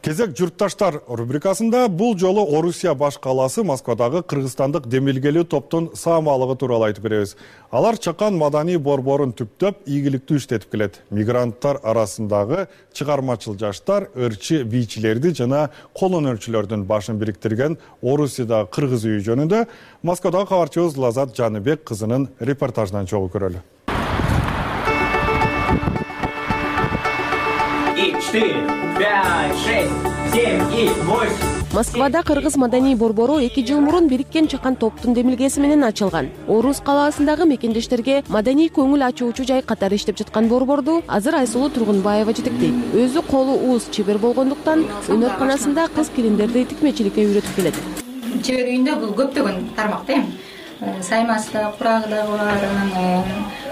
Кезек журтташтар рубрикасында бул жолу Орусия баш калаасы Москвадагы кыргызстандык демилгелүү топтун саамалыгы тууралуу айтып беребиз. Алар чакан маданий борборун түптөп ийгиликтүү иштетип келет. Мигранттар арасындагы чыгармачыл жаштар, ырчы бийчилерди жана кол өнөрчүлөрдүн башын бириктирген Орусиядагы кыргыз үйү жөнүндө Москвадагы кабарчыбыз Лазат Жаныбек кызынын репортажынан чогуу көрөлү. четыре, пять, шесть, семь и восемь. Москвада кыргыз маданий борбору эки жыл мурун бириккен чакан топтун демилгеси менен ачылган. Орус калаасындагы мекендештерге маданий көңүл ачуучу жай катары иштеп жаткан борборду азыр Айсулуу Тургунбаева жетектейт. Өзү колу ууз чебер болгондуктан өнөрканасында кыз келиндерди тикмечиликке үйрөтүп келет. Чебер үйүндө бул көптөгөн тармак да эми. Саймасы да, курагы да бар, анан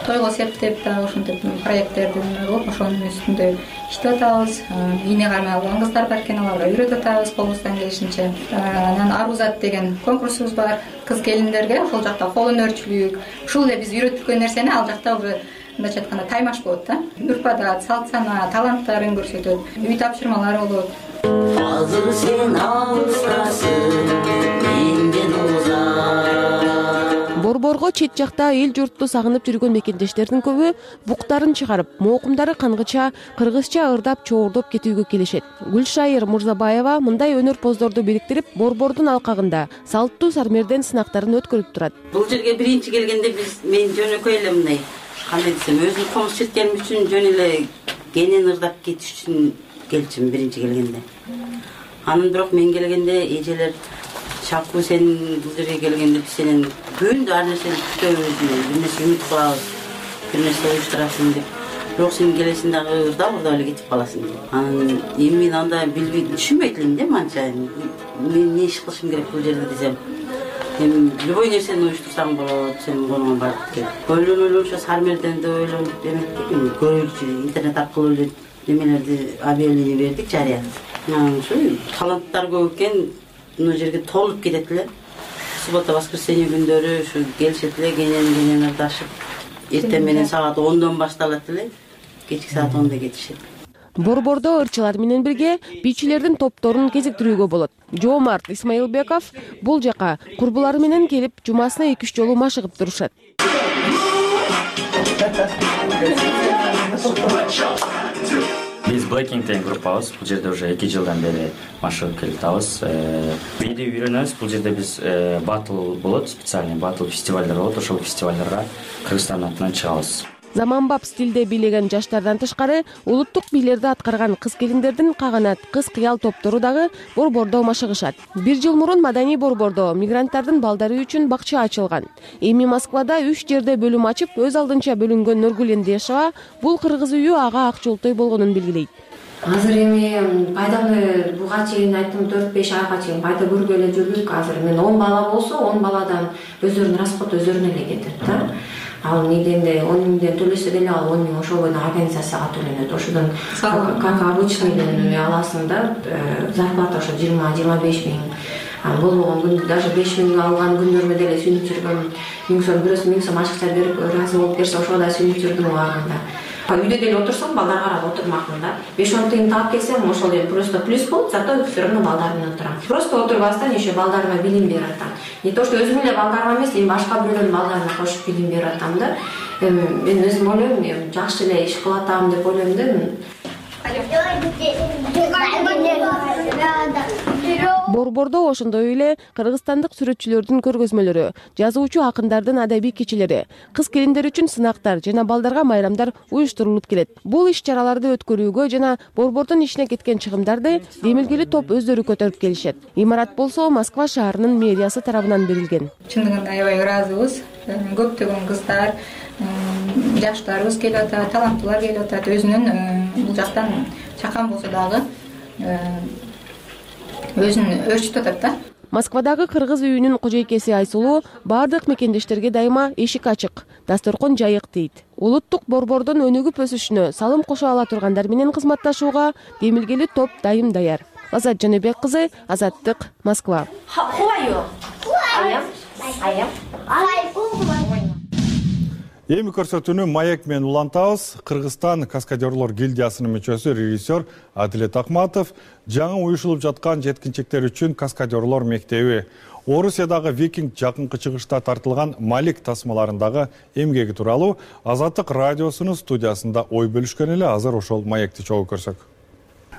тойго септеп да ушинтип проекттерди кылып ошонун үстүндө иштеп атабыз. Ийне кармай алган кыздар бар экен, аларга үйрөтүп атабыз колубуздан келишинче. Анан Арузат деген конкурсубуз бар. Кыз келиндерге ошол жакта кол өнөрчүлүк, ушул эле биз үйрөткөн нерсени ал жакта уже мындайча айтканда таймаш болот да. Үрп-адат, салт сана, таланттарын көрсөтөт, үй тапшырмалар болот. Азыр сен алыстасың, менден узак. Борборго чет жакта эл журтту сагынып жүргөн мекендештердин көбү буктарын чыгарып, моокумдары кангыча, кыргызча ырдап, чоордоп кетүүгө келишет. Гүлшайыр Мурзабаева мындай өнөр-поздорду бириктирип, борбордун алкагында салттуу сармерден сынактарын өткөрүп турат. Бул жерге биринчи келгенде биз мен жөнөкөй эле мындай, кандай десем, өзүм комуз четкеним үчүн жөн эле кенен ырдап кетиш үчүн келчим биринчи келгенде. Анан бирок мен келгенде эжелер Шапку сен бул жерге келгенде биз сенен күндү ар нерсени күтөбүз, бир нерсе үмүт кылабыз, бир нерсе уюштурасың деп. Бирок сен келесиң дагы ырдап ырдап эле кетип каласың деп. Анан эми мен анда билбей түшүнбөйт элем да манча. Мен эмне иш кылышым керек бул жерде десем. Эми любой нерсени уюштурсаң болот, сен колуңан барып кел. Ойлонуп ойлонуп сармерден да ойлонуп эметтик, көрөлүчү интернет аркылуу эле немелерди объявление бердик, жарыя. Анан ушу таланттар көп экен. Мына жерге толуп кетет эле. Суббота, воскресенье күндөрү ушу келишет эле, кенен-кенен ырдашып. Эртең менен саат ондон башталат эле, кечки саат онда кетишет. Борбордо ырчылар менен бирге бийчилердин топторун кезиктирүүгө болот. Жоомарт Исмаилбеков бул жака курбулары менен келип, жумасына эки үч жолу машыгып турушат. Биз Blackpink деген группабыз. Бул жерде уже эки жылдан бери машыгып келип атабыз. Бийди үйрөнөбүз. Бул жерде биз батл болот, специальный батл фестивалдар болот. Ошол фестивалдарга Кыргызстан атынан чыгабыз. Заманбап стилде бийлеген жаштардан тышкары улуттук бийлерди аткарган кыз-келиндердин каганат, кыз-кыял топтору дагы борбордо машыгышат. Бир жыл мурун маданий борбордо мигранттардын балдары үчүн бакча ачылган. Эми Москвада үч жерде бөлүм ачып, өз алдынча бөлүнгөн Нургүл Эндешова бул кыргыз үйү ага ак жолтой болгонун белгилейт. Азыр эми пайданы буга чейин айттым төрт беш айга чейин пайда көргөлө жүрдүк. Азыр мен он бала болсо он баладан өздөрүнүн расход өздөрүнө эле кетет да. Ал неденде он миңден төлөсө деле ал он миң ошол бойдон организацияга төлөнөт. Ошодон как обычныйден аласың да, зарплата ошо жыйырма жыйырма беш миң. Болбогон күн даже беш миң алган күндөрүмө деле сүйүнүп жүргөм. Миң сом бирөөсү миң сом акча берип ыраазы болуп берсе ошого да сүйүнүп жүрдүм убагында. Үйдө деле отурсам балдар карап отурмакмын да. беш он тыйын таап келсем ошол эле просто плюс болот, зато все равно балдар менен отурам. Просто отурбастан еще балдарыма билим берип атам. Не то что өзүм эле балдарыма эмес, эми башка бирөөнүн балдарына кошуп билим берип атам да. Мен өзүм ойлойм, жакшы эле иш кылып атам деп ойлойм да. Борбордо ошондой эле кыргызстандык сүрөтчүлөрдүн көргөзмөлөрү, жазуучу акындардын адабий кечелери, кыз-келиндер үчүн сынактар жана балдарга майрамдар уюштурулуп келет. Бул иш-чараларды өткөрүүгө жана борбордун ишине кеткен чыгымдарды демилгели топ өздөрү көтөрүп келишет. Имарат болсо Москва шаарынын мэриясы тарабынан берилген. Чындыгында аябай ыраазыбыз. Көптөгөн кыздар, жаштарыбыз келип атат, таланттуулар келип атат. Өзүнүн бул жактан чакан болсо дагы өзүн өөрчүтүп атат да. Москвадагы кыргыз үйүнүн кожойкеси Айсулуу бардык мекендештерге дайыма эшик ачык, дасторкон жайык дейт. Улуттук борбордун өнүгүп өсүшүнө салым кошо ала тургандар менен кызматташууга демилгели топ дайым даяр. Азат Жаныбек кызы, Азаттык, Москва. Эми көрсөтүүнү маек менен улантабыз. Кыргызстан каскадерлор гильдиясынын мүчөсү режиссер Адилет Акматов жаңы уюшулуп жаткан жеткинчектер үчүн каскадерлор мектеби, Орусиядагы викинг жакынкы чыгышта тартылган Малик тасмаларындагы эмгеги тууралуу Азаттык радиосунун студиясында ой бөлүшкөн эле. Азыр ошол маекти чогуу көрсөк.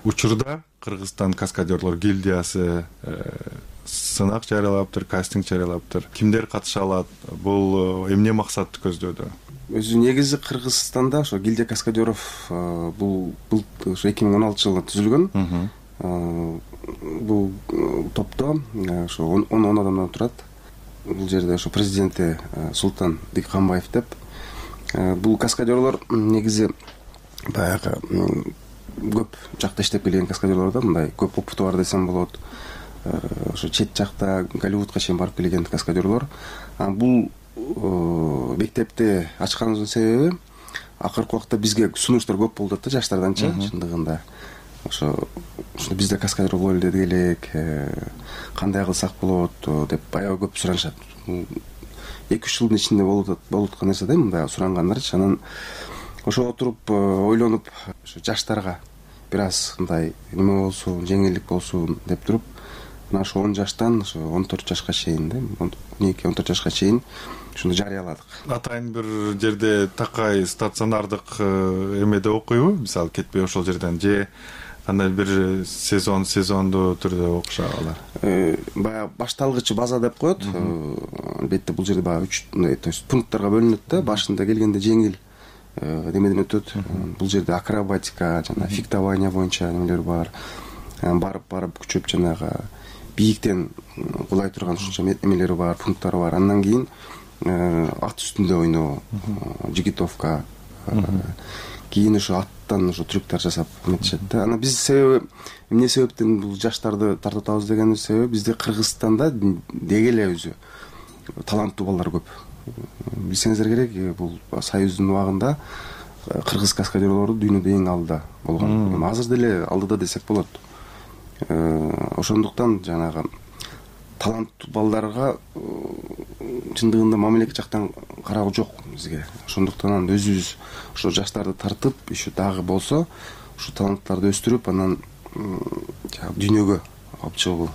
Учурда Кыргызстан каскадерлор гильдиясы сынак жарыялаптыр, кастинг жарыялаптыр. Кимдер катыша алат? Бул эмне максатты көздөдү? Өзү негизи Кыргызстанда ошо гильдия каскадеров бул бул ошо эки миң он алтынчы жылы түзүлгөн. Бул топто ошо он он адамдан турат. Бул жерде ошо президенти Султан Дикканбаев деп. Бул каскадерлор негизи баягы көп жакта иштеп келген каскадерлор да, мындай көп опыту бар десем болот. Ошо чет жакта Голливудка чейин барып келген каскадерлор. Бул мектепти ачканыбыздын себеби акыркы убакта бизге сунуштар көп болду да, жаштарданчы чындыгында. Ошо ошо бизде каскадер боло элек, кандай кылсак болот деп аябай көп суранышат. эки үч жылдын ичинде болуп болуп аткан нерсе да, мындай сурангандарчы. Анан ошо отуруп ойлонуп жаштарга бир аз мындай неме болсун, жеңилдик болсун деп туруп, мына ошо он жаштан ошо он төрт жашка чейин да, он эки он төрт жашка чейин ушуну жарыяладык. Атайын бир жерде такай стационардык эмеде окуйбу? Мисалы кетпей ошол жерден же кандай бир сезон сезондуу түрдө окушат алар? Баягы башталгыч база деп коет. Албетте бул жерде баягы үч, то есть пункттарга бөлүнөт да. Башында келгенде жеңил немеден өтөт. Бул жерде акробатика жана фехтование боюнча немелер бар. Барып барып күчөп жанагы бийиктен кулай турган ушунча эмелери бар, пункттары бар. Андан кийин ат үстүндө ойноо, жигитовка, кийин ошо аттан ошо трюктар жасап эметишет да. Анан биз себеби эмне себептен бул жаштарды тартып атабыз дегенин себеби бизде Кыргызстанда деги эле өзү таланттуу балдар көп. Билсеңиздер керек, бул союздун убагында кыргыз каскадерлору дүйнөдө эң алдыда болгон. Азыр деле алдыда десек болот. Ошондуктан жанагы таланттуу балдарга чындыгында мамлекет жактан кароо жок бизге. Ошондуктан өзүбүз ошо жаштарды тартып, еще дагы болсо, ошо таланттарды өстүрүп, анан дүйнөгө алып чыгуу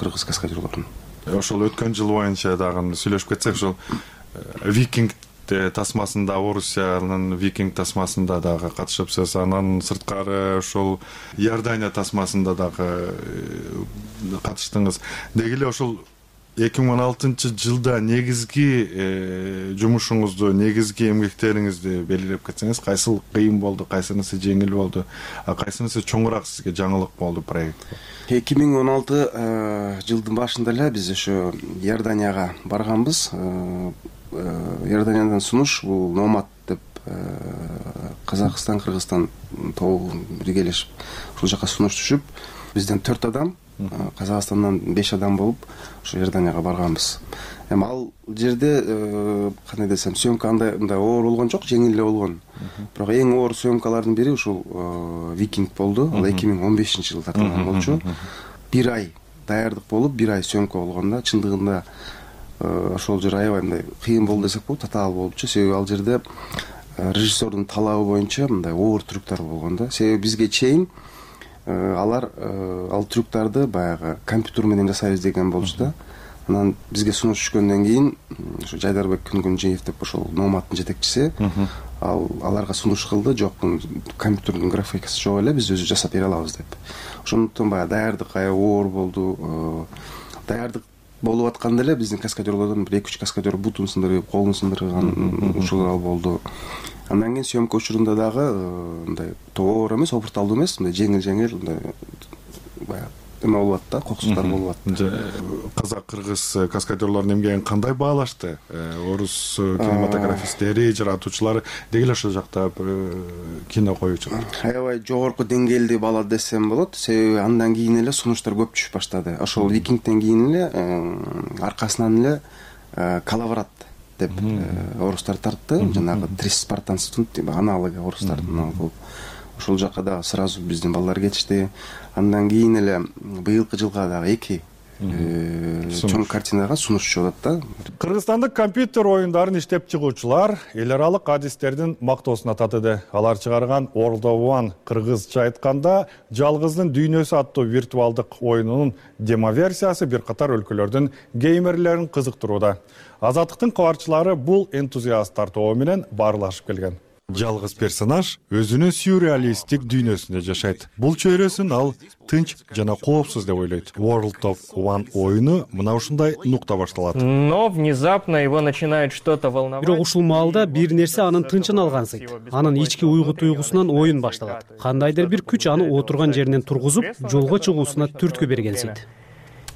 кыргыз каскадерлорун. Ошол өткөн жыл боюнча дагы сүйлөшүп кетсек, ошол викинг тасмасында, Орусиянын Викинг тасмасында дагы катышыпсыз. Анан сырткары ошол Иордания тасмасында дагы катыштыңыз. Деги эле ошол эки миң он алтынчы жылда негизги жумушуңузду, негизги эмгектериңизди белгилеп кетсеңиз, кайсыл кыйын болду, кайсынысы жеңил болду, а кайсынысы чоңураак сизге жаңылык болду проект? эки миң он алты жылдын башында эле биз ошо Иорданияга барганбыз. Иорданиядан сунуш, бул Номад деп Казакстан, Кыргызстан тобу биргелешип ушул жака сунуш түшүп, бизден төрт адам, Казакстандан беш адам болуп ошо Иорданияга барганбыз. Эми ал жерде кандай десем, съемка андай мындай оор болгон жок, жеңил эле болгон. Бирок эң оор съемкалардын бири ушул Викинг болду. Ал эки миң он бешинчи жылы тартылган болчу. Бир ай даярдык болуп, бир ай съемка болгондо чындыгында ошол жер аябай мындай кыйын болду десек болот, татаал болупчу. Себеби ал жерде режиссердун талабы боюнча мындай оор трюктар болгон да. Себеби бизге чейин алар ал трюктарды баягы компьютер менен жасайбыз деген болчу да. Анан бизге сунуш түшкөндөн кийин ошо Жайдарбек Күнгүнжиев деп ошол Номадтын жетекчиси ал аларга сунуш кылды. Жок, компьютердин графикасы жок эле, биз өзү жасап бере алабыз деп. Ошондуктан баягы даярдык аябай оор болду. Даярдык болуп атканда эле биздин каскадерлордон бир эки үч каскадер бутун сындырып, колун сындырган ушулар болду. Андан кийин съемка учурунда дагы мындай оор эмес, опурталдуу эмес, мындай жеңил-жеңил мындай баягы эме болуп атты, коксуктар болуп атты. Казак, кыргыз каскадерлордун эмгегин кандай баалашты? Орус кинематографисттери, жаратуучулары деги эле ошол жакта кино коюучулар аябай жогорку деңгээлде баалады десем болот. Себеби андан кийин эле сунуштар көп түшүп баштады. Ошол Викингден кийин эле аркасынан эле Калаврат деп орустар тартты. Жанагы Трис Спартанцтын аналогу орустардын болуп. Ошол жака да сразу биздин балдар кетишти. Андан кийин эле быйылкы жылга дагы эки чоң картинага сунуш чыгып атат да. Кыргызстандык компьютер оюндарын иштеп чыгуучулар эл аралык адистердин мактоосуна татыды. Алар чыгарган World of One кыргызча айтканда Жалгыздын дүйнөсү аттуу виртуалдык оюнунун демо версиясы бир катар өлкөлөрдүн геймерлерин кызыктырууда. Азаттыктын кабарчылары бул энтузиасттар тобу менен баарлашып келген. Жалгыз персонаж өзүнүн сюрреалисттик дүйнөсүндө жашайт. Бул чөйрөсүн ал тынч жана коопсуз деп ойлойт. World of One оюну мына ушундай нукта башталат. Но внезапно его начинает что-то волновать. Бирок ушул маалда бир нерсе анын тынчын алгансыйт. Анын ички уйгу туйгусунан оюн башталат. Кандайдыр бир күч аны отурган жеринен тургузуп, жолго чыгуусуна түрткү бергенсийт.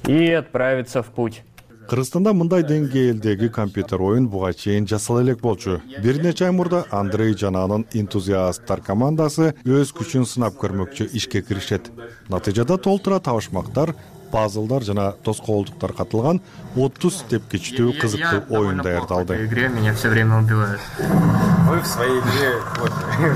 И отправиться в путь. Кыргызстанда мындай деңгээлдеги компьютер оюн буга чейин жасала элек болчу. Бир нече ай мурда Андрей жана анын энтузиасттар командасы өз күчүн сынап көрмөкчү ишке киришет. Натыйжада толтура табышмактар, пазлдар жана тоскоолдуктар катылган отуз тепкичтүү кызыктуу оюн даярдалды. Игре меня все время убивают. Вы в своей игре вот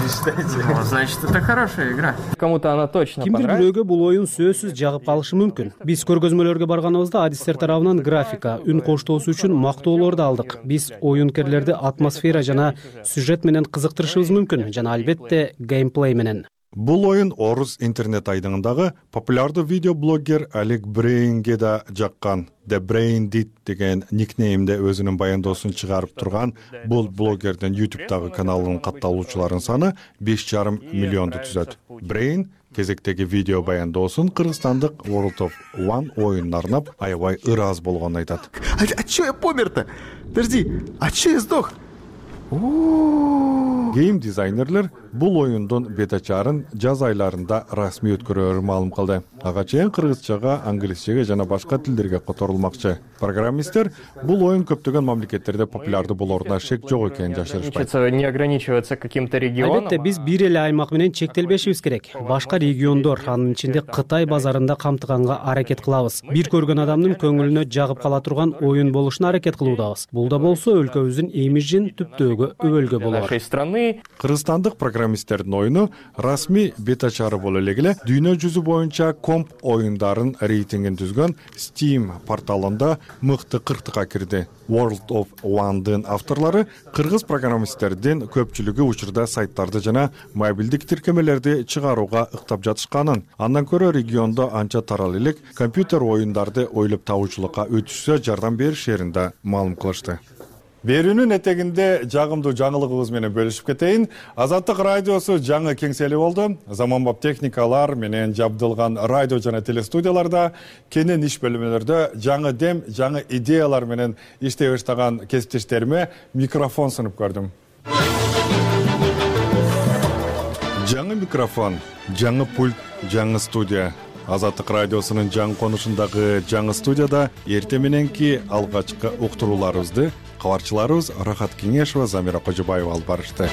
считаете? Значит, это хорошая игра. Кому-то она точно Кимдир бирөөгө бул оюн сөзсүз жагып калышы мүмкүн. Биз көргөзмөлөргө барганыбызда адистер тарабынан графика, үн коштоосу үчүн мактоолорду алдык. Биз оюнкерлерди атмосфера жана сюжет менен кызыктырышыбыз мүмкүн жана албетте геймплей менен. Бул оюн орус интернет айдыңындагы популярдуу видеоблогер Алек Брейнге да жаккан. The Brain Did деген никнеймде өзүнүн баяндоосун чыгарып турган бул блогердин YouTube'дагы каналынын катталуучуларынын саны беш жарым миллионду түзөт. Brain кезектеги видео баяндоосун кыргызстандык World of One оюнуна арнап аябай ырааз болгонун айтат. А чё я помер-то? Подожди, а чё я сдох? Гейм дизайнерлер бул оюндун бета-чарын жаз айларында расмий өткөрөөрүн маалым кылды. Ага чейин кыргызчага, англисчеге жана башка тилдерге которулмакчы. Программисттер бул оюн көптөгөн мамлекеттерде популярдуу болоруна шек жок экенин жашырышпайт. Не ограничиваться каким-то регионом. Албетте биз бир эле аймак менен чектелбешибиз керек. Башка региондор, анын ичинде Кытай базарында камтыганга аракет кылабыз. Бир көргөн адамдын көңүлүнө жагып кала турган оюн болушуна аракет кылуудабыз. Бул да болсо өлкөбүздүн имиджин түптөөгө өбөлгө болот. Кыргызстандык программисттердин оюну расмий бета-чары боло элек эле дүйнө жүзү боюнча комп оюндарын рейтингин түзгөн Steam порталында мыкты кырктыкка кирди. World of One'дын авторлору кыргыз программисттердин көпчүлүгү учурда сайттарды жана мобилдик тиркемелерди чыгарууга ыктап жатышканын, андан көрө региондо анча тарал элек компьютер оюндарды ойлоп табуучулукка өтүшсө жардам беришерин да маалым кылышты. Берүүнүн этегинде жагымдуу жаңылыгыбыз менен бөлүшүп кетейин. Азаттык радиосу жаңы кеңсели болду. Заманбап техникалар менен жабдылган радио жана телестудияларда, кенен иш бөлмөлөрдө жаңы дем, жаңы идеялар менен иштей баштаган кесиптештериме микрофон сунуп көрдүм. Жаңы микрофон, жаңы пульт, жаңы студия. Азаттык радиосунун жаңы конушундагы жаңы студияда эрте мененки алгачкы уктурууларыбызды кабарчыларыбыз Рахат Кеңешова, Замира Кожобаева алып барышты.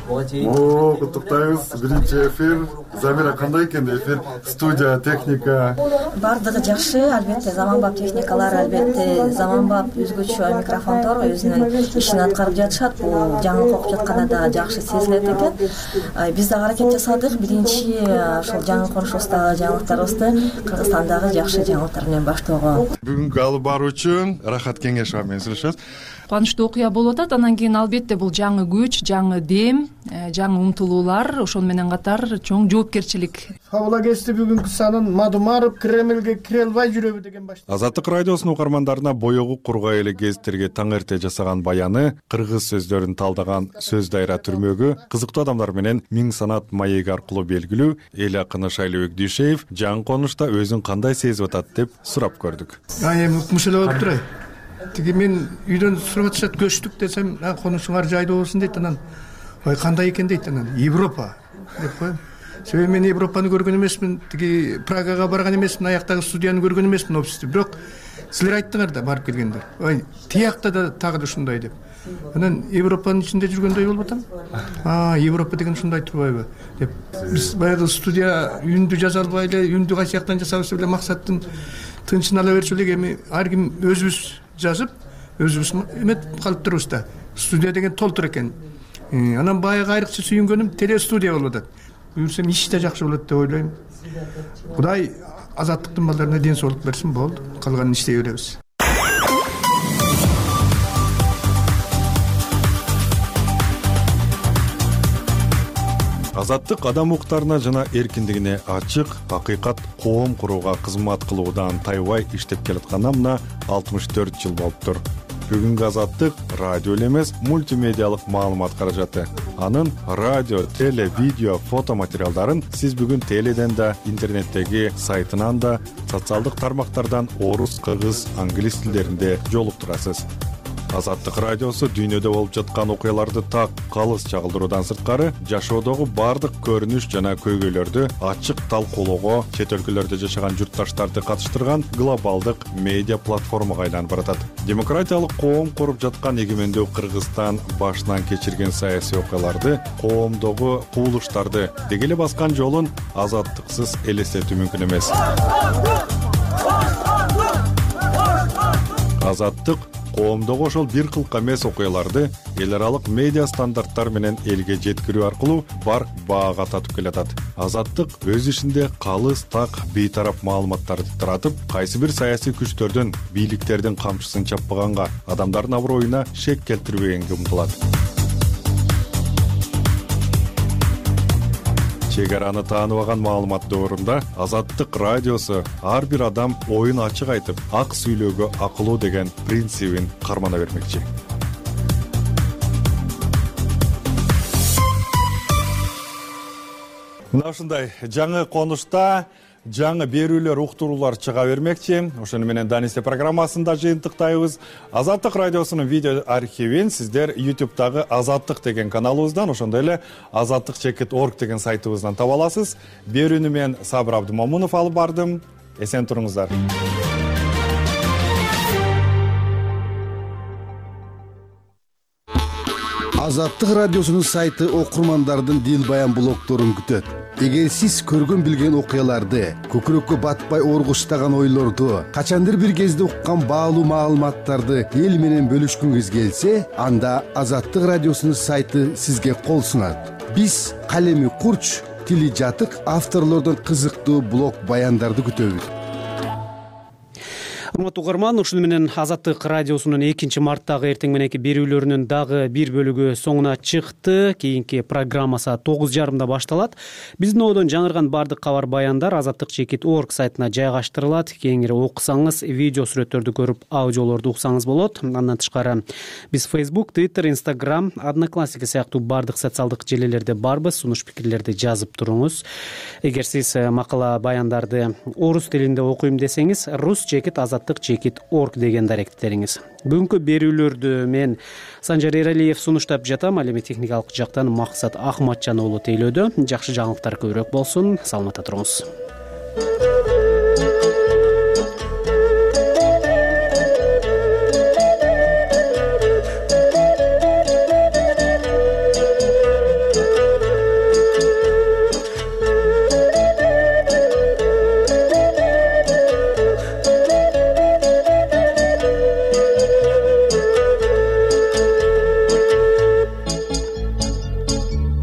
О, куттуктайбыз. Биринчи эфир. Замира, кандай экен эфир? Студия, техника. Бардыгы жакшы, албетте заманбап техникалар, албетте заманбап өзгөчө микрофондор өзүнүн ишин аткарып жатышат. Бул жаңы окуп жатканда да жакшы сезилет экен. Биз да аракет жасадык. Биринчи ошол жаңы конушубуздагы жаңылыктарыбызды Кыргызстандагы жакшы жаңылыктар менен баштоого. Бүгүнкү алып баруу үчүн Рахат Кеңешова менен сүйлөшөбүз. Кубанычтуу окуя болуп атат. Анан кийин албетте бул жаңы күч, жаңы дем, жаңы умтулуулар, ошол менен катар чоң жоопкерчилик. Фабула кести бүгүнкү санын Мадумаров Кремлге кире албай жүрөбү деген баштап. Азаттык радиосунун угармандарына боёгу кургай эле гезиттерге таң эрте жасаган баяны, кыргыз сөздөрүн талдаган сөз дайра түрмөгү, кызыктуу адамдар менен миң санат маеги аркылуу белгилүү эл акыны Шайлообек Дүйшеев жаңы конушта өзүн кандай сезип атат деп сурап көрдүк. А эми укмуш эле болуп турай. Тиги мен үйдөн сурап атышат, көчтүк десем, конушуңар жайдуу болсун дейт. Анан ой кандай экен дейт. Анан Европа деп коем. Себеби мен Европаны көргөн эмесмин, тиги Прагага барган эмесмин, аяктагы студияны көргөн эмесмин офисти. Бирок силер айттыңар да барып келгендер. Ой, тиякта да тагы да ушундай деп. Анан Европанын ичинде жүргөндөй болуп атам. А, Европа деген ушундай турбайбы деп. Биз баягы студия үндү жаза албай эле, үндү кайсы жактан жасабыз эле максаттын тынчын ала берчү элек. Эми ар ким өзүбүз жазып, өзүбүз эметип калып турубуз да. Студия деген толтур экен. Анан баягы айрыкча сүйүнгөнүм телестудия болуп атат. Буюрсам иш да жакшы болот деп ойлойм. Кудай азаттыктын балдарына ден соолук берсин, болду. Калганын иштей беребиз. Азаттык адам укуктарына жана эркиндигине ачык, акыйкат коом курууга кызмат кылуудан тайбай иштеп келатканына мына алтымыш төрт жыл болуптур. Бүгүнкү Азаттык радио эле эмес, мультимедиалык маалымат каражаты. Анын радио, теле, видео, фото материалдарын сиз бүгүн теледен да, интернеттеги сайтынан да, социалдык тармактардан орус, кыргыз, англис тилдеринде жолуктурасыз. Азаттык радиосу дүйнөдө болуп жаткан окуяларды так калыс чагылдыруудан сырткары жашоодогу бардык көрүнүш жана көйгөйлөрдү ачык талкуулоого, чет өлкөлөрдө жашаган журтташтарды катыштырган глобалдык медиа платформага айланып баратат. Демократиялык коом куруп жаткан эгемендүү Кыргызстан башынан кечирген саясий окуяларды, коомдогу куулуштарды деги эле баскан жолун азаттыксыз элестетүү мүмкүн эмес. Азаттык коомдогу ошол бир кылка эмес окуяларды эл аралык медиа стандарттар менен элге жеткирүү аркылуу бар баага татып келатат. Азаттык өз ишинде калыс, так, бейтарап маалыматтарды таратып, кайсы бир саясий күчтөрдүн, бийликтердин камчысын чаппаганга, адамдардын аброюна шек келтирбегенге умтулат. Чегараны тааныбаган маалымат дöwрүндө Азаттык радиосу ар бир адам оюн ачык айтып, ак сүйлөөгө акылуу деген принцибин кармана бермекчи. Мына ушундай жаңы конушта жаңы берүүлөр, уктуруулар чыга бермекчи. Ошону менен Данисте программасында жыйынтыктайбыз. Азаттык радиосунун видео архивин сиздер YouTube'дагы Азаттык деген каналыбыздан, ошондой эле азаттык чекит точка орг деген сайтыбыздан таба аласыз. Берүүнү мен Сабыр Абдымомунов алып бардым. Эсен туруңуздар. Азаттык радиосунун сайты окурмандардын дил баян блогдорун күтөт. Эгер сиз көргөн билген окуяларды, көкүрөккө батпай оргуштаган ойлорду, качандыр бир кезде уккан баалуу маалыматтарды эл менен бөлүшкүңүз келсе, анда Азаттык радиосунун сайты сизге кол сунат. Биз калеми курч, тили жатык авторлордон кызыктуу блог баяндарды күтөбүз. урматтуу угарман, ушуну менен Азаттык радиосунун экинчи марттагы эртең мененки берүүлөрүнүн дагы бир бөлүгү соңуна чыкты. Кийинки программа саат тогуз жарымда башталат. Биздин одон жаңырган бардык кабар баяндар азаттык чекит орг сайтына жайгаштырылат. Кеңири окусаңыз, видео сүрөттөрдү көрүп, аудиолорду уксаңыз болот. Андан тышкары биз Facebook, Twitter, Instagram, Одноклассники сыяктуу бардык социалдык желелерде барбыз. Сунуш пикирлерди жазып туруңуз. Эгер сиз макала баяндарды орус тилинде окуйм десеңиз, рус чекит азаттык чекит орг дегенди аракеттериңиз. Бүгүнкү берүүлөрдү мен Санжар Эралиев сунуштап жатам. Ал эми техникалык жактан Максат Ахматжан уулу тейлөөдө. Жакшы жаңылыктар көбүрөөк болсун. Саламатта туруңуз.